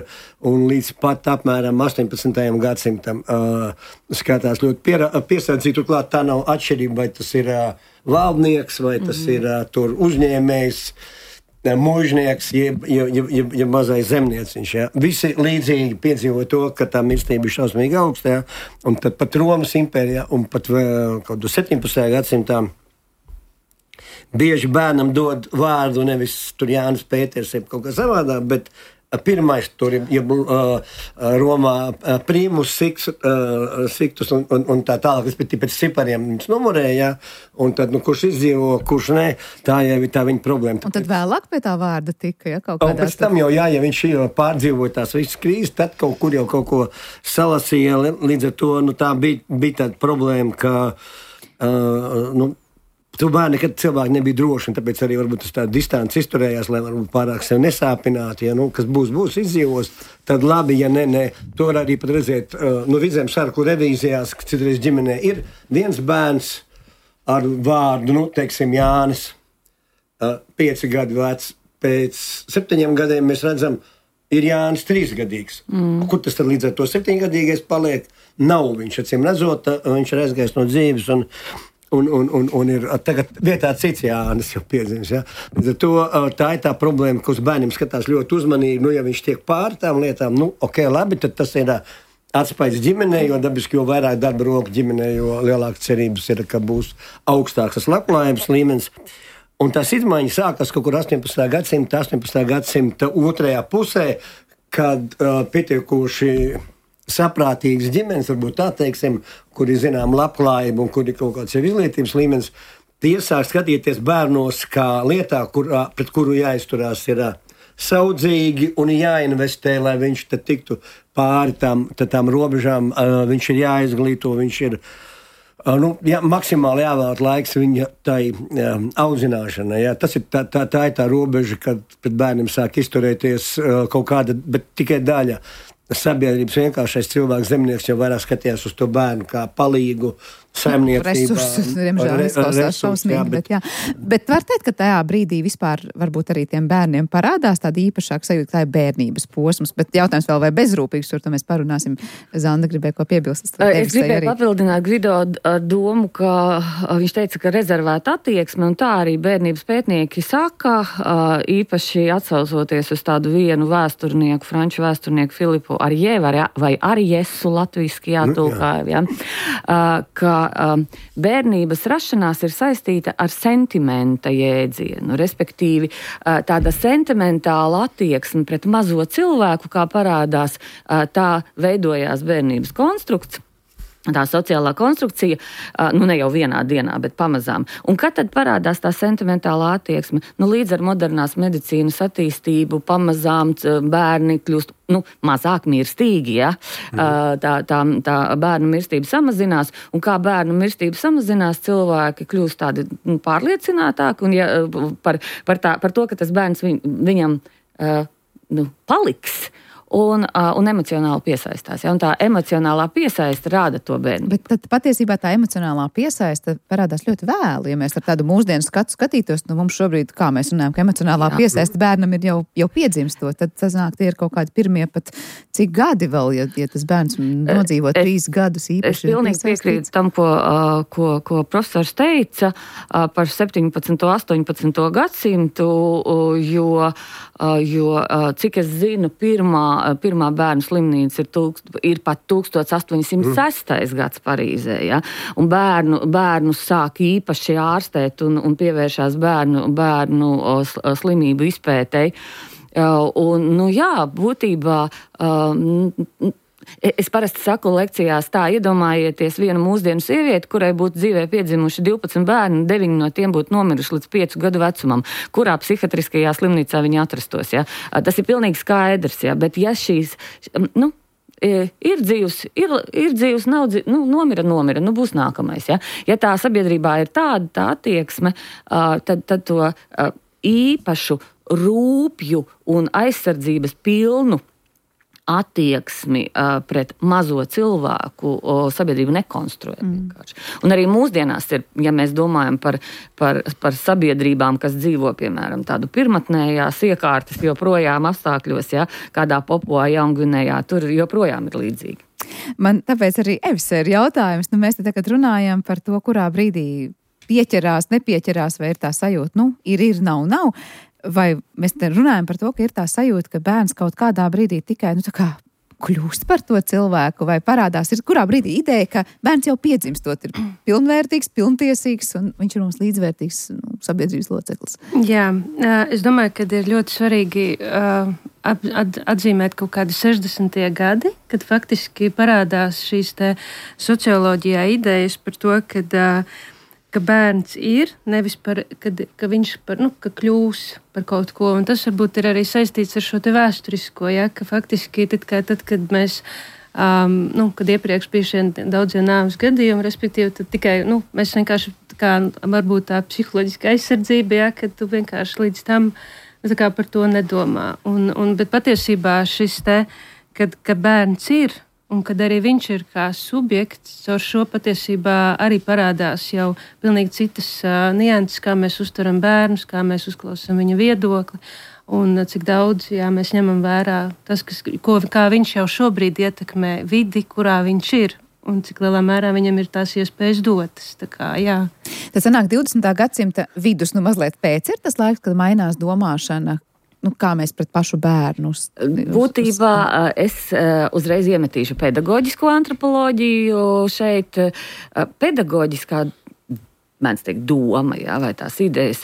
un līdz pat apmēram astoņpadsmitajam gadsimtam uh, skatās ļoti piera, piesardzīti, turklāt tā nav atšķirība, vai tas ir uh, valdnieks, vai tas mm-hmm. ir uh, tur uzņēmējs, mūžnieks, jeb, jeb, jeb, jeb, jeb mazais zemnieciņš. Ja. Visi līdzīgi piedzīvoja to, ka tā mirstība ir šausmīgi augsta, ja. Un tad pat Romas impērijā un pat kaut kādā septiņpadsmitajā gadsimtā bieži bērnam dod vārdu nevis tur Jānis Pēters, jeb kaut kā savādāk, bet pirmais tur ir ja, uh, Romā uh, primus, siks, uh, siktus un, un, un tā tālāk, respektīvi pēc cipariem viņš numurēja, ja, un tad, nu, kurš izdzīvo, kurš ne, tā jau ir tā viņa problēma. Un tad vēlāk pie tā vārda tika, ja, kaut kādā... Un pēc tam jau, jā, ja viņš pārdzīvoja tās visas krīzes, tad kaut kur jau kaut ko salasīja, līdz ar to, nu, tā bija, bija tāda problēma, ka, uh, nu, tu bērni, kad cilvēki nebija droši, un tāpēc arī varbūt tas tā distants izturējās, lai varbūt pārāk sev nesāpinātu, ja, nu, kas būs, būs, izdzīvos, tad labi, ja ne, ne. To var arī pat redzēt, uh, nu, Vidzem sarku revīzijās, ka citreiz ģimenē ir viens bērns ar vārdu, nu, teiksim, Jānis, uh, pieci gadi vecs, pēc septiņiem gadiem mēs redzam, ir Jānis trīsgadīgs. Mm. Kur tas tad līdz ar to septiņgadīgais paliek? Nav viņš, acīm redzot, viņš ir aizgājis no dzīves un, un, un, un, un ir tagad vietā cits Jānis jau piedzimis. Ja? To, tā ir tā problēma, ka uz bērniem skatās ļoti uzmanīgi. Nu, ja viņš tiek pār tām lietām, nu, ok, labi, tad tas ir atspējas ģimenē, jo dabiski, jo vairāk darba roku ģimenē, jo lielāka cerības ir, ka būs augstāks tas labklājības līmenis. Un tās izmaiņas sākas kaut kur astoņpadsmitā gadsimta, astoņpadsmitā gadsimta otrajā pusē, kad uh, pietiekoši saprātīgas ģimenes, varbūt tā teiksim, kur ir zinām labklājība un kur ir kaut kāds jau izglītības līmenis, tie sāk skatīties bērnos kā lietā, kur, pret kuru jāizturās ir saudzīgi un jāinvestē, lai viņš tad tiktu pāri tam, tām robežām, uh, viņš ir jāizglīto, viņš ir uh, nu, jā, maksimāli jāvēlēt laiks viņa tai um, audzināšanai. Jā. Tas ir tā, tā, tā ir tā robeža, kad pret bērniem sāk izturēties uh, kaut kāda, bet tikai daļa sabiedrības vienkāršais cilvēks, zemnieks jau vairāk skatījās uz to bērnu kā palīgu, saimniecībā. Resursus, diemžēl, izklausās šausmīgi, bet, jā. Bet var teikt, ka tajā brīdī vispār varbūt arī tiem bērniem parādās tāda īpašāka sajūta, tā ir bērnības posms, bet jautājums vēl vai bezrūpīgs, tur to mēs parunāsim. Zanda gribēja ko piebilst. Es gribēju arī papildināt Gvido ar domu, ka viņš teica, ka rezervēta attieksme, un tā arī bērnības pētnieki saka, īpaši atsaucoties uz tādu vienu vēsturnieku, franču vēsturnieku Filipu Arjē vai Arjesu latviski jātulkā, jā, ka um, bērnības rašanās ir saistīta ar sentimenta jēdzienu, respektīvi uh, tāda sentimentāla attieksme pret mazo cilvēku, kā parādās, uh, tā veidojās bērnības konstrukts. Tā sociālā konstrukcija, nu ne jau vienā dienā, bet pamazām. Un kad tad parādās tā sentimentālā attieksme? Nu, līdz ar modernās medicīnas attīstību pamazām bērni kļūst nu, mazāk mirstīgi, ja? Mm. Tā, tā, tā bērnu mirstība samazinās, un kā bērnu mirstība samazinās, cilvēki kļūst tādi nu, pārliecinātāki, un ja, par, par, tā, par to, ka tas bērns viņ, viņam nu, paliks, Un, uh, un emocionāli piesaistās. Ja? Un tā emocionālā piesaista rāda to bērnu. Bet tad patiesībā tā emocionālā piesaista parādās ļoti vēlu. Ja mēs ar tādu mūsdienu skatu skatītos, nu mums šobrīd, kā mēs runājam, ka emocionālā Jā. piesaista bērnam ir jau, jau piedzimstot, tad tas nāk, tie ir kaut kādi pirmie pat cik gadi vēl, ja, ja tas bērns nodzīvo es, trīs gadus īpaši. Es pilnīgi piekrītu tam, ko, uh, ko, ko profesors teica uh, par septiņpadsmito, astoņpadsmito gadsimtu, uh, jo, uh, jo uh, cik es zinu, pirmā Pirmā bērnu slimnīca ir, tūkst, ir pat tūkstoš astoņi simti sestais mm. gads Parīzē. Ja? Un bērnu, bērnu sāk īpaši ārstēt un, un pievēršās bērnu, bērnu slimību izpētei. Un, nu jā, būtībā... Um, Es parasti saku lekcijās tā, iedomājieties vienu mūsdienu sievieti, kurai būtu dzīvē piedzimuši divpadsmit bērni, deviņi no tiem būtu nomiruši līdz piecu gadu vecumam, kurā psihiatriskajā slimnīcā viņi atrastos. Ja? Tas ir pilnīgi skaidrs, ja? Bet ja šīs, nu, ir dzīvs, ir, ir dzīvs, nav dzīvs, nu, nomira, nomira, nu, būs nākamais. Ja, ja tā sabiedrībā ir tāda tā attieksme, tad, tad to īpašu rūpju un aizsardzības pilnu attieksmi uh, pret mazo cilvēku o, sabiedrību nekonstruē. Mm. Un arī mūsdienās ir, ja mēs domājam par, par, par sabiedrībām, kas dzīvo, piemēram, tādu pirmatnējās iekārtas joprojām apstākļos, ja, kādā Papua Jaungvinejā, tur joprojām ir līdzīgi. Man tāpēc arī Evis ir jautājums, nu mēs te tagad runājam par to, kurā brīdī pieķerās, nepieķerās, vai ir tā sajūta, nu, ir, ir, nav, nav. Vai mēs te runājam par to, ka ir tā sajūta, ka bērns kaut kādā brīdī tikai, nu tā kā kļūst par to cilvēku, vai parādās, ir kurā brīdī ideja, ka bērns jau piedzimstot ir pilnvērtīgs, pilntiesīgs un viņš ir mums līdzvērtīgs nu, sabiedrības loceklis. Jā, es domāju, ka ir ļoti svarīgi uh, atzīmēt kaut kādi sešdesmitie gadi, kad faktiski parādās šīs te socioloģijā idejas par to, kad uh, ka bērns ir, nevis par, kad, ka viņš par, nu, ka kļūs par kaut ko. Un tas varbūt ir arī saistīts ar šo te vēsturisko, ja, ka faktiski tad, kā, tad kad mēs, um, nu, kad iepriekš bija šie daudzie nāves gadījumi, respektīvi, tad tikai, nu, mēs vienkārši, kā varbūt tā psiholoģiska aizsardzība, ja, kad tu vienkārši līdz tam, tā kā par to nedomā. Un, un, bet patiesībā šis te, kad, ka bērns ir, un kad arī viņš ir kā subjekts, caur šo patiesībā arī parādās jau pilnīgi citas uh, nianses, kā mēs uztveram bērnus, kā mēs uzklausām viņa viedokli. un cik daudz jā, mēs ņemam vērā tas, kas, ko, kā viņš jau šobrīd ietekmē vidi, kurā viņš ir. Un cik lielā mērā viņam ir tās iespējas dotas. Tā kā, jā. Tas sanāk divdesmitā gadsimta vidus, nu mazliet pēc ir tas laiks, kad mainās domāšana, nu kā mēs pret pašu bērnu. Uz, Būtībā es uzreiz iemetīšu pedagoģisko antropoloģiju šeit. Pedagoģiskā mēdz teikt doma, jā, vai tās idejas,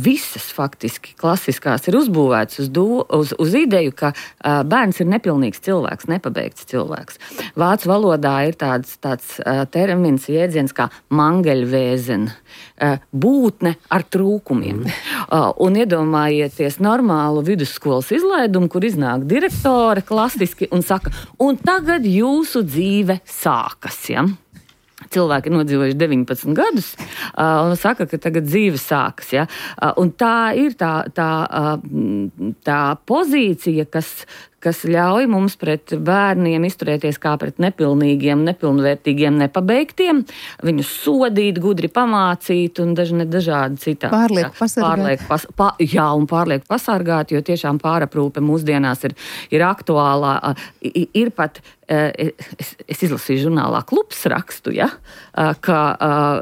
visas faktiski klasiskās ir uzbūvētas uz, do, uz, uz ideju, ka bērns ir nepilnīgs cilvēks, nepabeigts cilvēks. Vācu valodā ir tāds, tāds termins, jēdziens kā mangeļvēzen, būtne ar trūkumiem. Mm. Un iedomājieties normālu vidusskolas izlaidumu, kur iznāk direktore klasiski un saka, un tagad jūsu dzīve sākas, ja? Cilvēki ir nodzīvojuši deviņpadsmit gadus uh, un saka, ka tagad dzīve sākas. Ja? Uh, un tā ir tā, tā, uh, tā pozīcija, kas, kas ļauj mums pret bērniem izturēties kā pret nepilnīgiem, nepilnvērtīgiem, nepabeigtiem, viņus sodīt, gudri pamācīt un dažne dažādi citādi. Pārlieku pasargāt. Pārlieku pas, pa, jā, un pārlieku pasargāt, jo tiešām pāraprūpe mūsdienās ir, ir aktuālā. Ir pat, es, es izlasīju žurnālā Klubs rakstu, ja, ka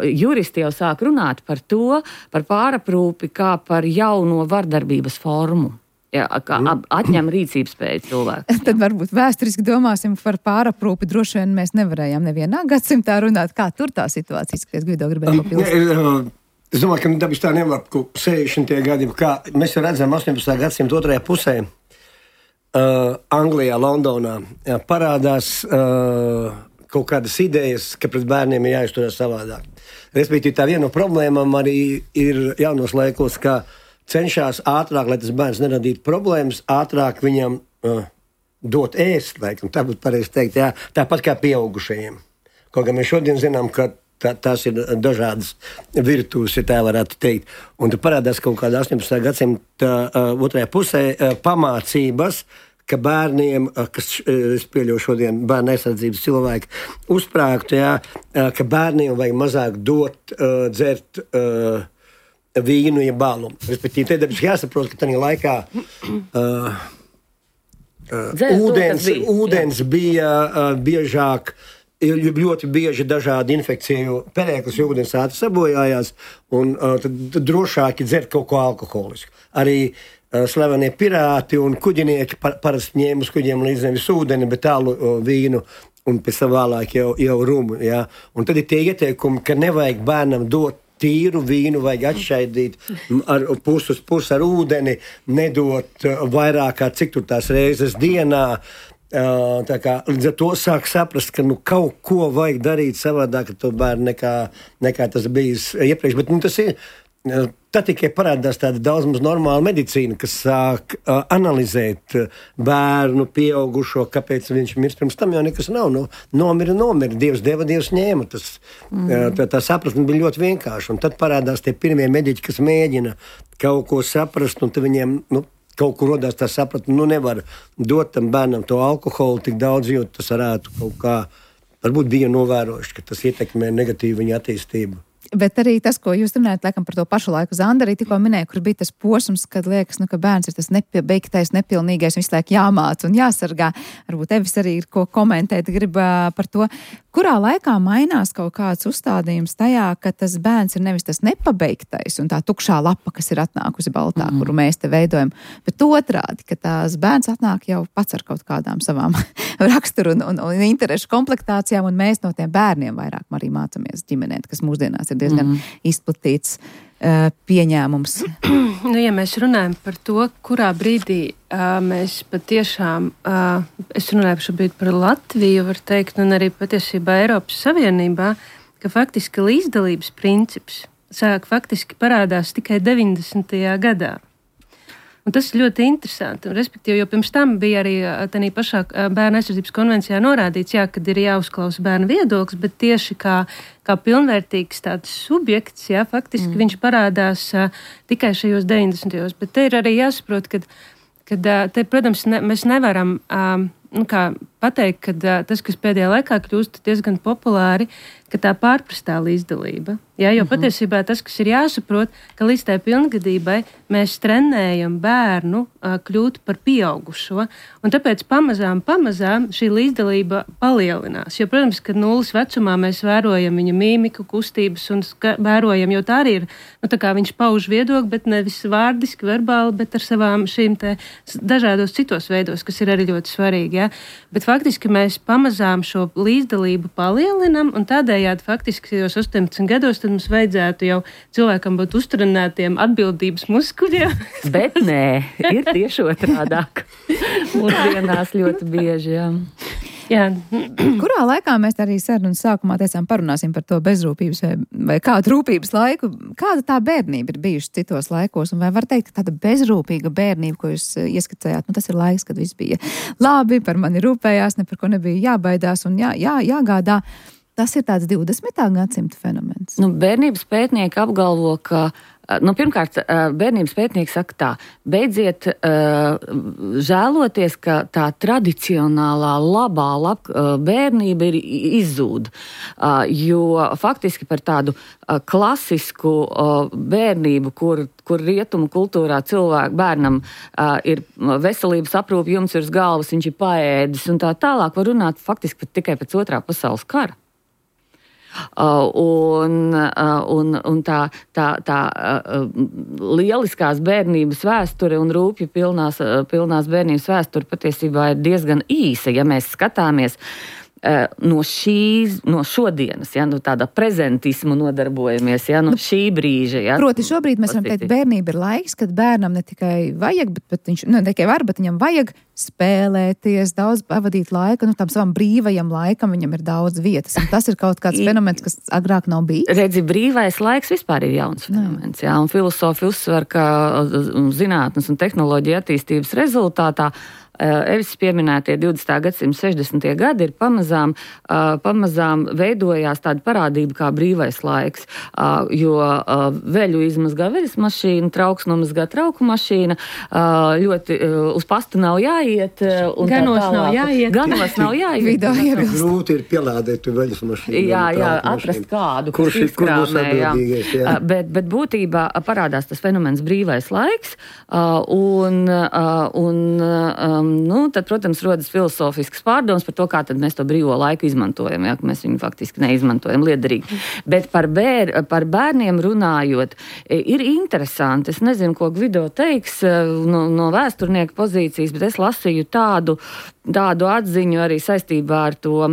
juristi jau sāk runāt par to, par pāraprūpi kā par jauno vardarbības formu. Jā, kā atņem rīcības spēju cilvēku. Tad varbūt vēsturiski domāsim par pāraprūpi. Droši vien mēs nevarējām nevienā gadsimtā runāt, kā tur tā situācija izskaties. Gvido gribēja papildināt. Es domāju, ka dabis tā nevar, ka sešdesmitie gadi, kā mēs redzam astoņpadsmitā gadsimta otrajā pusē, uh, Anglijā, Londonā, jā, parādās uh, kaut kādas idejas, ka pret bērniem ir jāizturās savādāk. Respektīvi, tā viena no problēmām arī ir jaunos laikos, ka cenšas ātrāk, lai tas bērns neradītu problēmas, ātrāk viņam uh, dot ēst, laikam, tā būtu pareizi teikt, jā, tāpat kā pieaugušajiem. Kaut kā mēs šodien zinām, ka tā, tās ir dažādas virtuves, ja tā varētu teikt. Un tad parādās kaut kādā astoņpadsmitā gadsimta uh, otrajā pusē uh, pamācības, ka bērniem, uh, kas, uh, es pieļauju šodien bērnu aizsardzības cilvēki, uzsprāgtu, jā, uh, ka bērniem vajag mazāk dot, uh, dzert, uh, vīnu, ja balu. Respektīvi, te dabiski jāsaprot, ka tajā laikā uh, uh, Dzēr, ūdens, to, bija, ūdens bija uh, biežāk, ļoti bieži dažādi infekciju perēklis, jo ūdens ātri sabojājās, un uh, tad, tad drošāk ir dzert kaut ko alkoholisku. Arī uh, slavenie pirāti un kuģinieki par, parasti ņēma uz kuģiem līdz nevis ūdeni, bet tālu uh, vīnu, un pēc tam vēlāk jau, jau rumu. Jā. Un tad ir tie ieteikumi, ka nevajag bērnam dot tīru vīnu, vajag atšķaidīt ar pusi uz pusi ar ūdeni, nedot vairāk kā cik tur tās reizes dienā. Tā kā līdz ar to sāk saprast, ka nu, kaut ko vajag darīt savādāk ar to bērnu nekā, nekā tas bijis iepriekš. Bet nu, tas ir, tad tikai parādās tāda daudz maz normāla medicīna, kas sāk uh, analizēt bērnu, pieaugušo, kāpēc viņš mirst. Pirms tam jau nekas nav. Nu, nomira, nomira. Dievs deva, Dievs ņēma. Tas, mm. uh, tā, tā sapratne bija ļoti vienkārša. Un tad parādās tie pirmie mediķi, kas mēģina kaut ko saprast, un tad viņiem nu, kaut kur rodās tā sapratne, nu nevar dot tam bērnam to alkoholu tik daudz, jo tas varētu kaut kā, varbūt bija novērojuši, ka tas ietekmē negatīvi viņa attīstību. Bet arī tas, ko jūs runājat, laikam par to pašu laiku, Zanda arī tikko minēja, kur bija tas posms, kad liekas, nu, ka bērns ir tas nepabeigtais, nepilnīgais, visu laiku jāmāc un jāsargā. Varbūt Evis arī ir ko komentēt, grib uh, par to, kurā laikā mainās kaut kāds uzstādījums tajā, ka tas bērns ir nevis tas nepabeigtais un tā tukšā lapa, kas ir atnākusi baltā, mm. kuru mēs te veidojam, bet otrādi, ka tās bērns atnāk jau pats ar kaut kādām savām raksturu un, un, un interešu komplektācijām, un mēs no tiem bērniem vairāk arī mācamies ģimenēt, kas mūsdienās ir diezgan mm. izplatīts uh, pieņēmums. Nu, ja mēs runājam par to, kurā brīdī uh, mēs patiešām, uh, es runāju šobrīd par Latviju, var teikt, un arī patiesībā Eiropas Savienībā, ka faktiski līdzdalības princips sāk faktiski parādās tikai deviņdesmitajā gadā. Un tas ir ļoti interesanti. Respektīvi, jo pirms tam bija arī tādā pašā bērnu aizsardzības konvencijā norādīts, jā, kad ir jāuzklausa bērnu viedoklis, bet tieši kā, kā pilnvērtīgs tāds subjekts, jā, faktiski mm. viņš parādās uh, tikai šajos deviņdesmitajos. Bet te ir arī jāsaprot, ka, kad, uh, te, protams, ne, mēs nevaram uh, nu, kā pateikt, ka uh, tas, kas pēdējā laikā kļūst diezgan populāri, ka tā pārprastā līdzdalība. Ja, jo uh-huh. patiesībā tas, kas ir jāsaprot, ka līdz tai pilngadībai mēs trenējam bērnu uh, kļūt par pieaugušo, un tāpēc pamazām, pamazām šī līdzdalība palielinās. Jo, protams, kad nulles vecumā mēs vērojam viņa mīmiku, kustības un ska- vērojam, jo tā arī ir, nu tā kā viņš pauž viedokli, bet nevis vārdiski, verbāli, bet ar savām šīm te dažādos citos veidos, kas ir arī ļoti svarīgi. Ja. Bet faktiski mēs pamazām šo līdzdalību palielinam, un tādējādi faktiski jau astoņpadsmit gados tad mums vajadzētu jau cilvēkam būt uztrenētiem atbildības muskuļiem. Bet nē, ir tieši otrādāk. Mūsdienās ļoti bieži, jā. Jā. Kurā laikā mēs arī sarunas sākumā teicām, parunāsim par to bezrūpības vai, vai kādu rūpības laiku? Kāda tā bērnība ir bijuši citos laikos? Un vai var teikt, ka tāda bezrūpīga bērnība, ko jūs ieskicējāt, nu tas ir laiks, kad viss bija labi, par mani rūpējās, ne par ko nebija jābaidās un jā, jā, jāgādā. Tas ir tāds divdesmitā gadsimta fenomens. Nu, bērnības pētnieki apgalvo, ka Nu, pirmkārt, bērnības pētnieki saka tā, beidziet uh, žēloties, ka tā tradicionālā labā lab, uh, bērnība ir izzūd, uh, jo faktiski par tādu uh, klasisku uh, bērnību, kur, kur rietumu kultūrā cilvēku bērnam uh, ir veselības aprūpe, jums ir uz galvas, viņš ir paēdis un tā tālāk, var runāt faktiski tikai pēc otrā pasaules kara. Uh, un, uh, un, un tā, tā, tā uh, lieliskās bērnības vēsture un rūpju pilnās, uh, pilnās bērnības vēsture patiesībā ir diezgan īsa, ja mēs skatāmies uh, no šīs, no šodienas, ja, no tāda prezentismu nodarbojamies, ja, no nu, šī brīža. Ja, proti šobrīd mēs varam teikt, bērnība ir laiks, kad bērnam ne tikai vajag, bet, bet viņš, ne tikai var, bet viņam vajag spēlēties, daudz pavadīt laika, nu tam savam brīvajam laikam viņam ir daudz vietas. Un tas ir kaut kāds fenomens, kas agrāk nav bijis. Redzi, brīvais laiks vispār ir jauns fenomens, jā, un filosofi uzsver, ka zinātnes un tehnoloģija attīstības rezultātā Evis pieminētie divdesmitā gadsimta sešdesmitie gadi ir pamazām, uh, pamazām veidojās tāda parādība kā brīvais laiks, uh, jo uh, veļu izmazgā veļas mašīna, trauks nomazgā trauku mašīna, uh, ļoti uh, uz pastu nav jāiet. Uh, un ganos nav jāiet. Ganos nav jāiet. Vidā iebilst. Grūti ir pielādēt veļas mašīnu. Jā, jā, atrast kādu, kurš ir atbildīgais. Uh, bet, bet būtībā parādās tas fenomens brīvais laiks, uh, un, uh, un um, Nu, tad, protams, rodas filosofisks pārdoms par to, kā tad mēs to brīvo laiku izmantojam, ja, ka mēs viņu faktiski neizmantojam liederīgi. Bet par, bēr, par bērniem runājot, ir interesanti, es nezinu, ko Gvido teiks no, no vēsturnieka pozīcijas, bet es lasīju tādu, tādu atziņu arī saistībā ar to uh,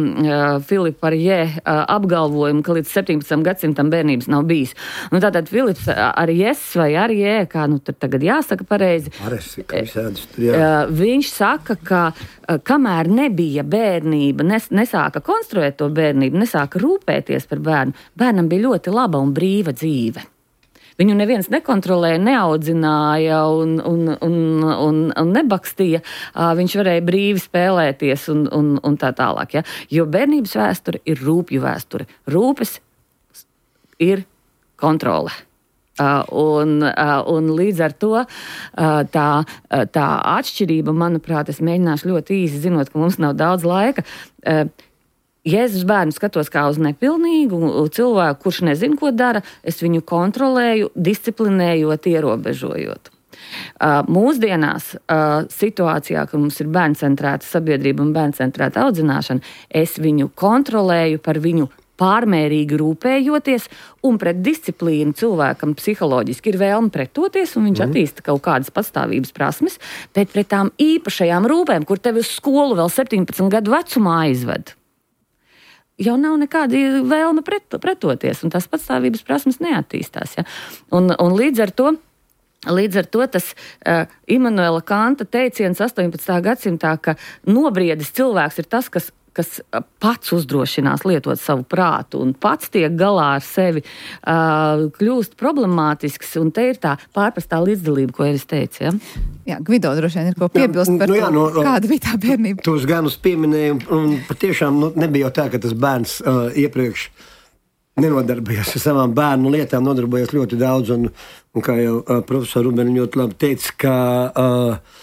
Filipa Arjē uh, apgalvojumu, ka līdz septiņpadsmitam gadsimtam bērnības nav bijis. Nu, tātad Filips Arjēs vai Arjē, kā nu tad tagad jāsaka pareizi, Aresi, ka visādis tur jā. Uh, viņš saka, ka uh, kamēr nebija bērnība, nes, nesāka konstruēt to bērnību, nesāka rūpēties par bērnu, bērnam bija ļoti laba un brīva dzīve. Viņu neviens nekontrolēja, neaudzināja un, un, un, un, un nebakstīja. Viņš varēja brīvi spēlēties un, un, un tā tālāk. Ja? Jo bērnības vēsture ir rūpju vēsture. Rūpes ir kontrole. Uh, un, uh, un līdz ar to uh, tā, uh, tā atšķirība, manuprāt, es mēģināšu ļoti īsi, zinot, ka mums nav daudz laika. Uh, Jēzus bērnu skatos kā uz nepilnīgu cilvēku, kurš nezin, ko dara, es viņu kontrolēju, disciplinējot, ierobežojot. Uh, mūsdienās uh, situācijā, ka mums ir bērncentrēta sabiedrība un bērncentrēta audzināšana, es viņu kontrolēju par viņu pārmērīgi rūpējoties, un pret disciplīnu cilvēkam psiholoģiski ir vēlme pretoties, un viņš mm. attīsta kaut kādas patstāvības prasmes, bet pret tām īpašajām rūpēm, kur tevi uz skolu vēl septiņpadsmit gadu vecumā aizved, jau nav nekāda vēlme pret, pretoties, un tās patstāvības prasmes neattīstās. Ja? Un, un līdz ar to Līdz ar to tas uh, Immanuela Kanta teiciens astoņpadsmitā gadsimtā, ka nobriedis cilvēks ir tas, kas, kas pats uzdrošinās lietot savu prātu un pats tiek galā ar sevi, uh, kļūst problemātisks, un te ir tā pārprastā līdzdalība, ko es teicu. Ja? Jā, Gvido droši vien ir ko piebilst par nu, jā, no, to, kāda bija tā bērnība. Tos ganus pieminēju, un patiešām nu, nebija jau tā, ka tas bērns uh, iepriekš nenodarbojās ar savām bērnu lietām, nodarbojās ļoti daudz, un, un kā jau uh, profesora Rubeni ļoti labi teica, ka uh,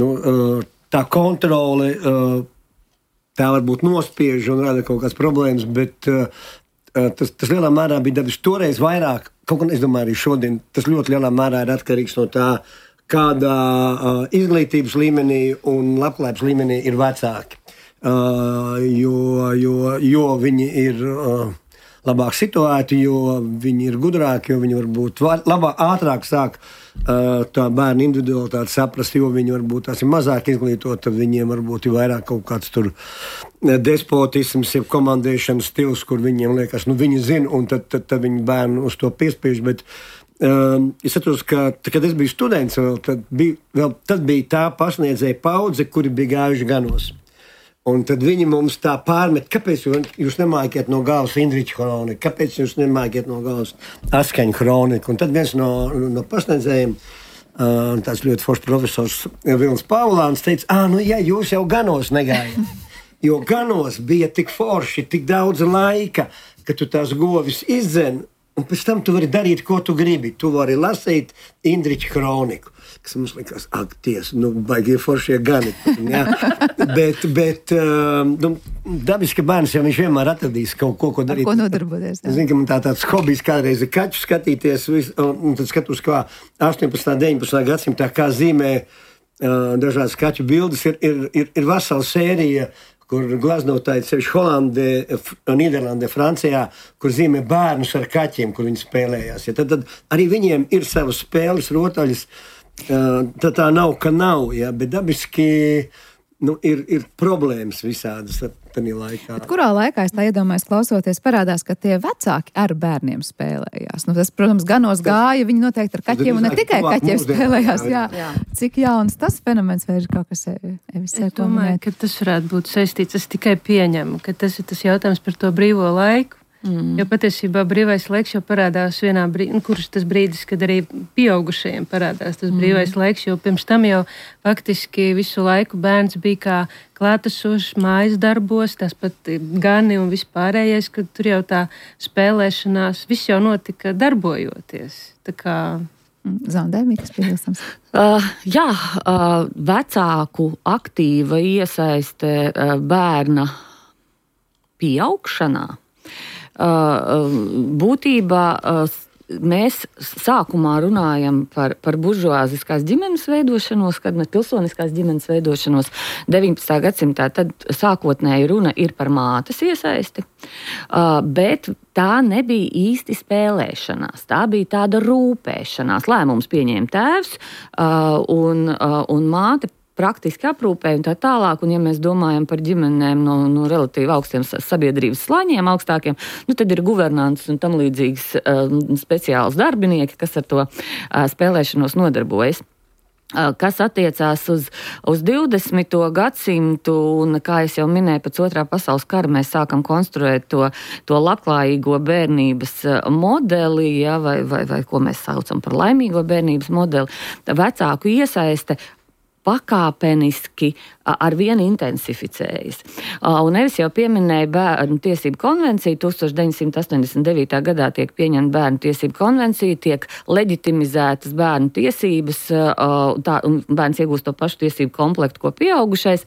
nu, uh, tā kontrole, tā varbūt nospiež un rada kaut kādas problēmas, bet tas, tas lielā mērā bija dabiski toreiz vairāk, kaut gan es domāju arī šodien, tas ļoti lielā mērā ir atkarīgs no tā, kādā izglītības līmenī un labklājības līmenī ir vecāki. Jo, jo, jo viņi ir labāk situēti, jo viņi ir gudrāki, jo viņi varbūt labāk, ātrāk sāk uh, tā bērnu individualitāti saprast, jo viņi varbūt tās ir mazāk izglītoti, tad viņiem varbūt ir vairāk kaut kāds tur despotisms, jeb komandēšanas stils, kur viņiem liekas, nu viņi zina, un tad, tad, tad viņi bērnu uz to piespiež, bet uh, es atceros, ka, kad es biju students, vēl, tad, bija, vēl, tad bija tā pasniedzēja paudze, kuri bija gājuši ganos. Un tad viņi mums tā pārmet, kāpēc jūs nemākiet no galvas Indriča kroniku, kāpēc jūs nemākiet no galvas Askaņa kroniku. Un tad viens no, no pasniedzējiem, uh, tāds ļoti foršs profesors Vilnis Paulāns teica, ā, nu jā, jūs jau ganos negājat. Jo ganos bija tik forši, tik daudz laika, ka tu tās govis izdzen, un pēc tam tu vari darīt, ko tu gribi. Tu vari lasīt Indriča kroniku. Kas mums likās, ak, ties, nu, baigie foršie gani. Ja? bet, bet nu, dabiski bērns jau viņš vienmēr atradīs kaut ko, ko darīt. Ar ko nodarboties. Es zinu, ka man tā tāds hobijs kādreiz ir kaķu skatīties, vis, un tad skatos, kā astoņpadsmitā, deviņpadsmitā gadsimtā, kā zīmē uh, dažādas kaķu bildes, ir, ir, ir, ir vesela sērija, kur glaznotāji sevišķi Holandē, Nīderlandē, Francijā, kur zīmē bērnus ar kaķiem, kur viņi spēlējās. Ja? Tad, tad arī viņiem ir savas spēles, rotaļas. Uh, tā tā nav, ka nav, ja, bet dabiski nu, ir, ir problēmas visādas tādā laikā. Bet kurā laikā es tā iedomājos klausoties, parādās, ka tie vecāki ar bērniem spēlējās? Nu, tas, protams, ganos gāja, viņi noteikti ar kaķiem un ne tikai kaķiem spēlējās. Jā. Jā. Cik jauns tas fenomens vai ir kaut kas Evis? Es domāju, ka tas varētu būt saistīts, es tikai pieņemu, ka tas ir tas jautājums par to brīvo laiku. Mm. Jo patiesībā brīvais laiks jau parādās vienā brīdī, nu, kurš tas brīdis, kad arī pieaugušajiem parādās tas mm. brīvais laiks, jo pirms tam jau faktiski visu laiku bērns bija kā klātesošs mājas darbos, tas pat gani un vispārējais, kad tur jau tā spēlēšanās, viss jau notika darbojoties. Tā kā... Zaudējumi, kas piebilstams? Uh, jā, uh, vecāku aktīva iesaiste uh, bērna pieaugšanā. Uh, būtībā uh, mēs sākumā runājam par, par buržuāziskās ģimenes veidošanos, kad mēs pilsoniskās ģimenes veidošanos deviņpadsmitā gadsimtā, tad sākotnēji runa ir par mātes iesaisti, uh, bet tā nebija īsti spēlēšanās, tā bija tāda rūpēšanās. Lēmums pieņēma tēvs uh, un, uh, un māte praktiski aprūpē un tā tālāk, un ja mēs domājam par ģimenēm no, no relatīvi augstiem sabiedrības slāņiem augstākiem, nu tad ir guvernants un tam līdzīgs uh, speciāls darbinieki, kas ar to uh, spēlēšanos nodarbojas. Uh, kas attiecās uz, uz divdesmito gadsimtu, un, kā es jau minēju, pēc otrā pasaules kara mēs sākam konstruēt to, to labklājīgo bērnības modeli, ja, vai, vai, vai ko mēs saucam par laimīgo bērnības modeli, vecāku iesaiste pakāpeniski ar vienu intensificējas. Un Evis jau pieminēja bērnu tiesību konvenciju, tūkstoš deviņsimt astoņdesmit devītā gadā tiek pieņemta bērnu tiesību konvencija, tiek leģitimizētas bērnu tiesības, tā, un bērns iegūst to pašu tiesību komplektu, ko pieaugušais,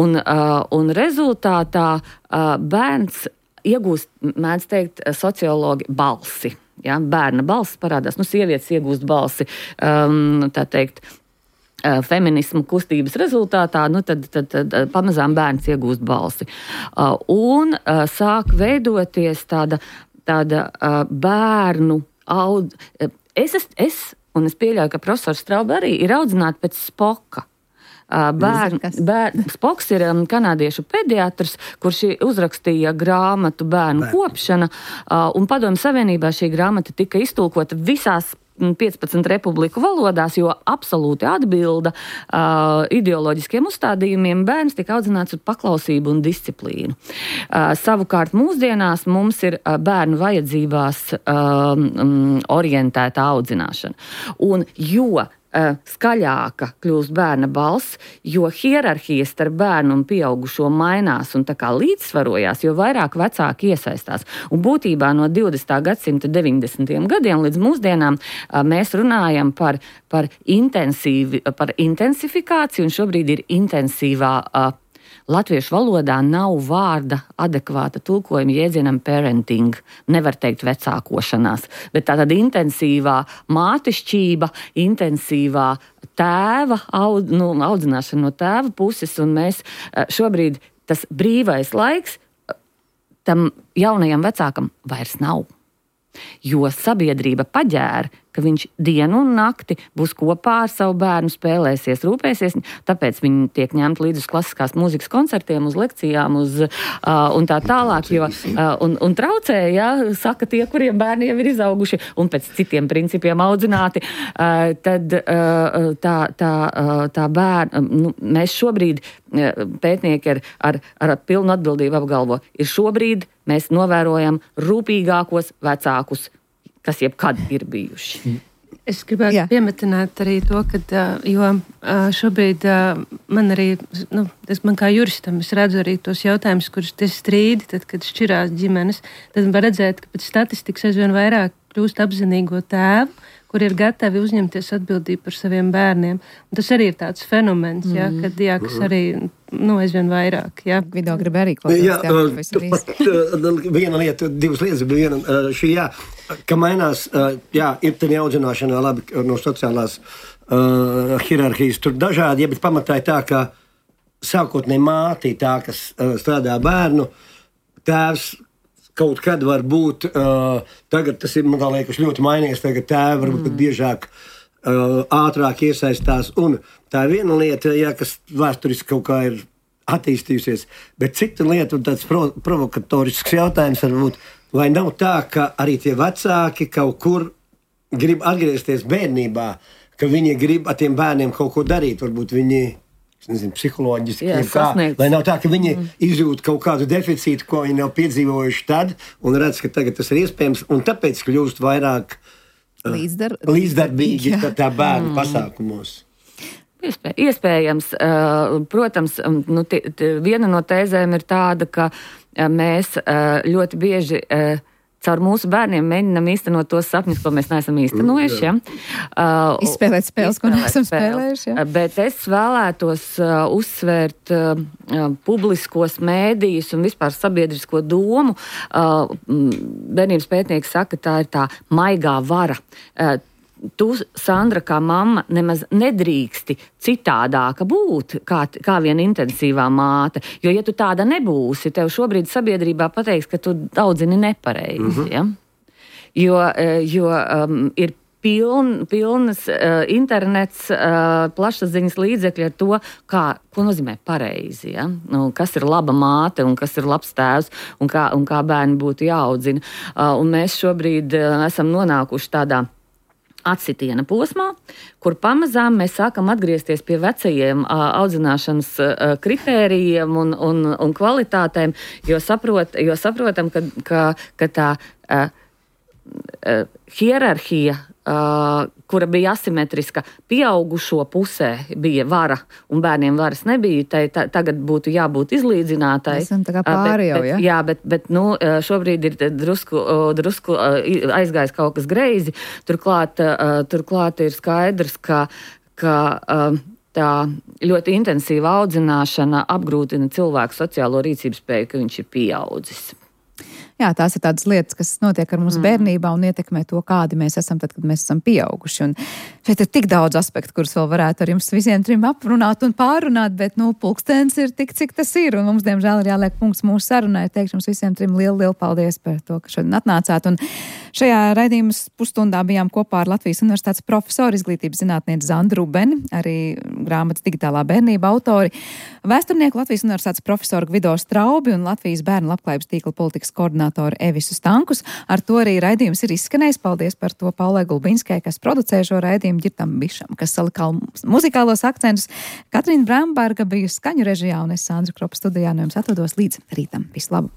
un, un rezultātā bērns iegūst, mēdz teikt, sociologi balsi. Ja? Bērna balss parādās, nu, sievietes iegūst balsi, um, tā teikt, feminismu kustības rezultātā, nu tad, tad, tad pamazām bērns iegūst balsi. Uh, un uh, sāk veidoties tāda, tāda uh, bērnu aud... Es, es, es, un es pieļauju, ka profesors Straube arī ir audzināta pēc Spoka. Uh, bērn, bērn, Spoks ir um, kanādiešu pediatrs, kurš uzrakstīja grāmatu Bērnu kopšana, uh, un Padomju Savienībā šī grāmata tika iztulkota visās piecpadsmit republiku valodās, jo absolūti atbilda uh, ideoloģiskiem uzstādījumiem. Bērns tika audzināts ar paklausību un disciplīnu. Uh, savukārt mūsdienās mums ir uh, bērnu vajadzībās uh, um, orientēta audzināšana. Un jo uh, skaļāka kļūst bērna balss, jo hierarhija starp bērnu un pieaugušo mainās un tā kā līdzsvarojās, jo vairāk vecāki iesaistās. Un būtībā no divdesmitā gadsimta deviņdesmitajiem gadiem līdz mūsdienām uh, mēs runājam par, par, intensīvi, par intensifikāciju, un šobrīd ir intensīvā uh, latviešu valodā nav vārda adekvāta tulkojuma jēdzienam parenting, nevar teikt vecākošanās, bet tā tad intensīvā mātišķība, intensīvā tēva, aud, nu, audzināšana no tēva puses, un mēs šobrīd tas brīvais laiks tam jaunajam vecākam vairs nav. Jo sabiedrība paģēra, ka viņš dienu un nakti būs kopā ar savu bērnu, spēlēsies, rūpēsies, tāpēc viņi tiek ņemti līdz uz klasiskās mūzikas koncertiem, uz lekcijām, uz, uh, un tā tālāk, jo, uh, un, un traucē, ja, saka tie, kuriem bērni jau ir izauguši un pēc citiem principiem audzināti, uh, tad uh, tā, tā, uh, tā bērna, nu, mēs šobrīd, uh, pētnieki ar, ar, ar pilnu atbildību apgalvo, ir šobrīd mēs novērojam rūpīgākos vecākus, kas jebkad ir bijuši. Es gribētu Jā. piemetināt arī to, ka, jo šobrīd man arī, nu, es, man kā juristam, es redzu arī tos jautājumus, kurus tie strīdi, tad, kad šķirās ģimenes, tad var redzēt, ka pēc statistikas aizvien vairāk kļūst apzinīgo tēvu, kur ir gatavi uzņemties atbildību par saviem bērniem. Un tas arī ir tāds fenomens, mm. jā, kad, jā, kas arī, nu, aizvien vairāk. Jā. Gvido grib arī kaut jā, jā, pat, viena lieta, divas lietas, bet viena, šī, jā, ka mainās, jā, ir tā neaudzināšanā labi no sociālās uh, hierarhijas, tur dažādi, ja, bet pamatā ir tā, ka sākotnēji māte tā, kas uh, strādā bērnu, tēvs kaut kad var būt, uh, tagad tas ir, man liekas, ļoti mainījies, tagad tēvi varbūt mm. biežāk, uh, ātrāk iesaistās, un tā ir viena lieta, ja, kas vēsturiski kaut kā ir attīstījusies, bet cita lieta, un tāds pro, provokatorisks jautājums varbūt, vai nav tā, ka arī tie vecāki kaut kur grib atgriezties bērnībā, ka viņi grib ar tiem bērniem kaut ko darīt, varbūt viņi... Nezinu, psiholoģiski, Jā, kā, lai nav tā, ka viņi mm. izjūt kaut kādu deficītu, ko viņi nav piedzīvojuši tad, un redz, ka tagad tas ir iespējams, un tāpēc kļūst vairāk uh, Līdzdar... līdzdarbīgi tā, tā bērnu mm. pasākumos. Iespēj, iespējams, uh, protams, nu, t, t, viena no tēzēm ir tāda, ka uh, mēs uh, ļoti bieži uh, caur mūsu bērniem mēģinām īstenot tos sapņus, ko mēs neesam īstenojuši. Ja? Uh, izspēlēt spēles, ko neesam spēlējuši. Ja? Bet es vēlētos uh, uzsvērt uh, publiskos mēdījus un vispār sabiedrisko domu. Uh, bērnības pētnieki saka, tā ir tā maigā vara. Uh, Tu, Sandra, kā mamma, nemaz nedrīksti citādāka būt, kā, kā viena intensīvā māte. Jo, ja tu tāda nebūsi, tev šobrīd sabiedrībā pateiks, ka tu audzini nepareizi. Mm-hmm. Ja? Jo, jo um, ir piln, pilnas uh, internets, uh, plašsaziņas līdzekļi ar to, kā, ko nozīmē pareizi. Ja? Nu, kas ir laba māte un kas ir labs tēvs un kā, un kā bērni būtu jāaudzina. Uh, un mēs šobrīd uh, esam nonākuši tādā atsitiena posmā, kur pamazām mēs sākam atgriezties pie vecajiem uh, audzināšanas uh, kritērijiem un, un, un kvalitātēm, jo, saprot, jo saprotam, ka, ka, ka tā uh, uh, hierarhija, uh, kura bija asimetriska, pieaugušo pusē bija vara un bērniem varas nebija, tai ta, tagad būtu jābūt izlīdzinātai. Esam tā kā pāri jau, ja? Jā, bet, bet nu, šobrīd ir drusku, drusku aizgājis kaut kas greizi. Turklāt, turklāt ir skaidrs, ka, ka tā ļoti intensīva audzināšana apgrūtina cilvēku sociālo rīcības spēju, ka viņš ir pieaudzis. Jā, tās ir tādas lietas, kas notiek ar mums mm. bērnībā un ietekmē to, kādi mēs esam tad, kad mēs esam pieauguši. Un šeit ir tik daudz aspektu, kurus vēl varētu ar jums visiem trim aprunāt un pārunāt, bet, nu, pulkstens ir tik, cik tas ir. Un mums, diemžēl, ir jāliek punkts mūsu sarunai. Teikšu jums visiem trim lielu, lielu paldies par to, ka šodien atnācāt. Un šajā raidījuma pusstundā bijām kopā ar Latvijas Universitātes profesoru, izglītības zinātnieci Zandu Rubeni, arī grāmatas Digitālā bērnība autori, vēsturnieku Latvijas Universitātes profesoru Gvido Straubi un Latvijas bērnu labklājības tīkla politikas koordinātoru Evisu Stankus. Ar to arī raidījums ir izskanējis. Paldies par to Paulai Gulbinskai, kas producēja šo raidījumu, Ģirtam Bišam, kas salika muzikālos akcentus. Katrīna Bramberga bija skaņu režijā un es Sandra Kropa studijā no jums atvados līdz rītam. Visu labu!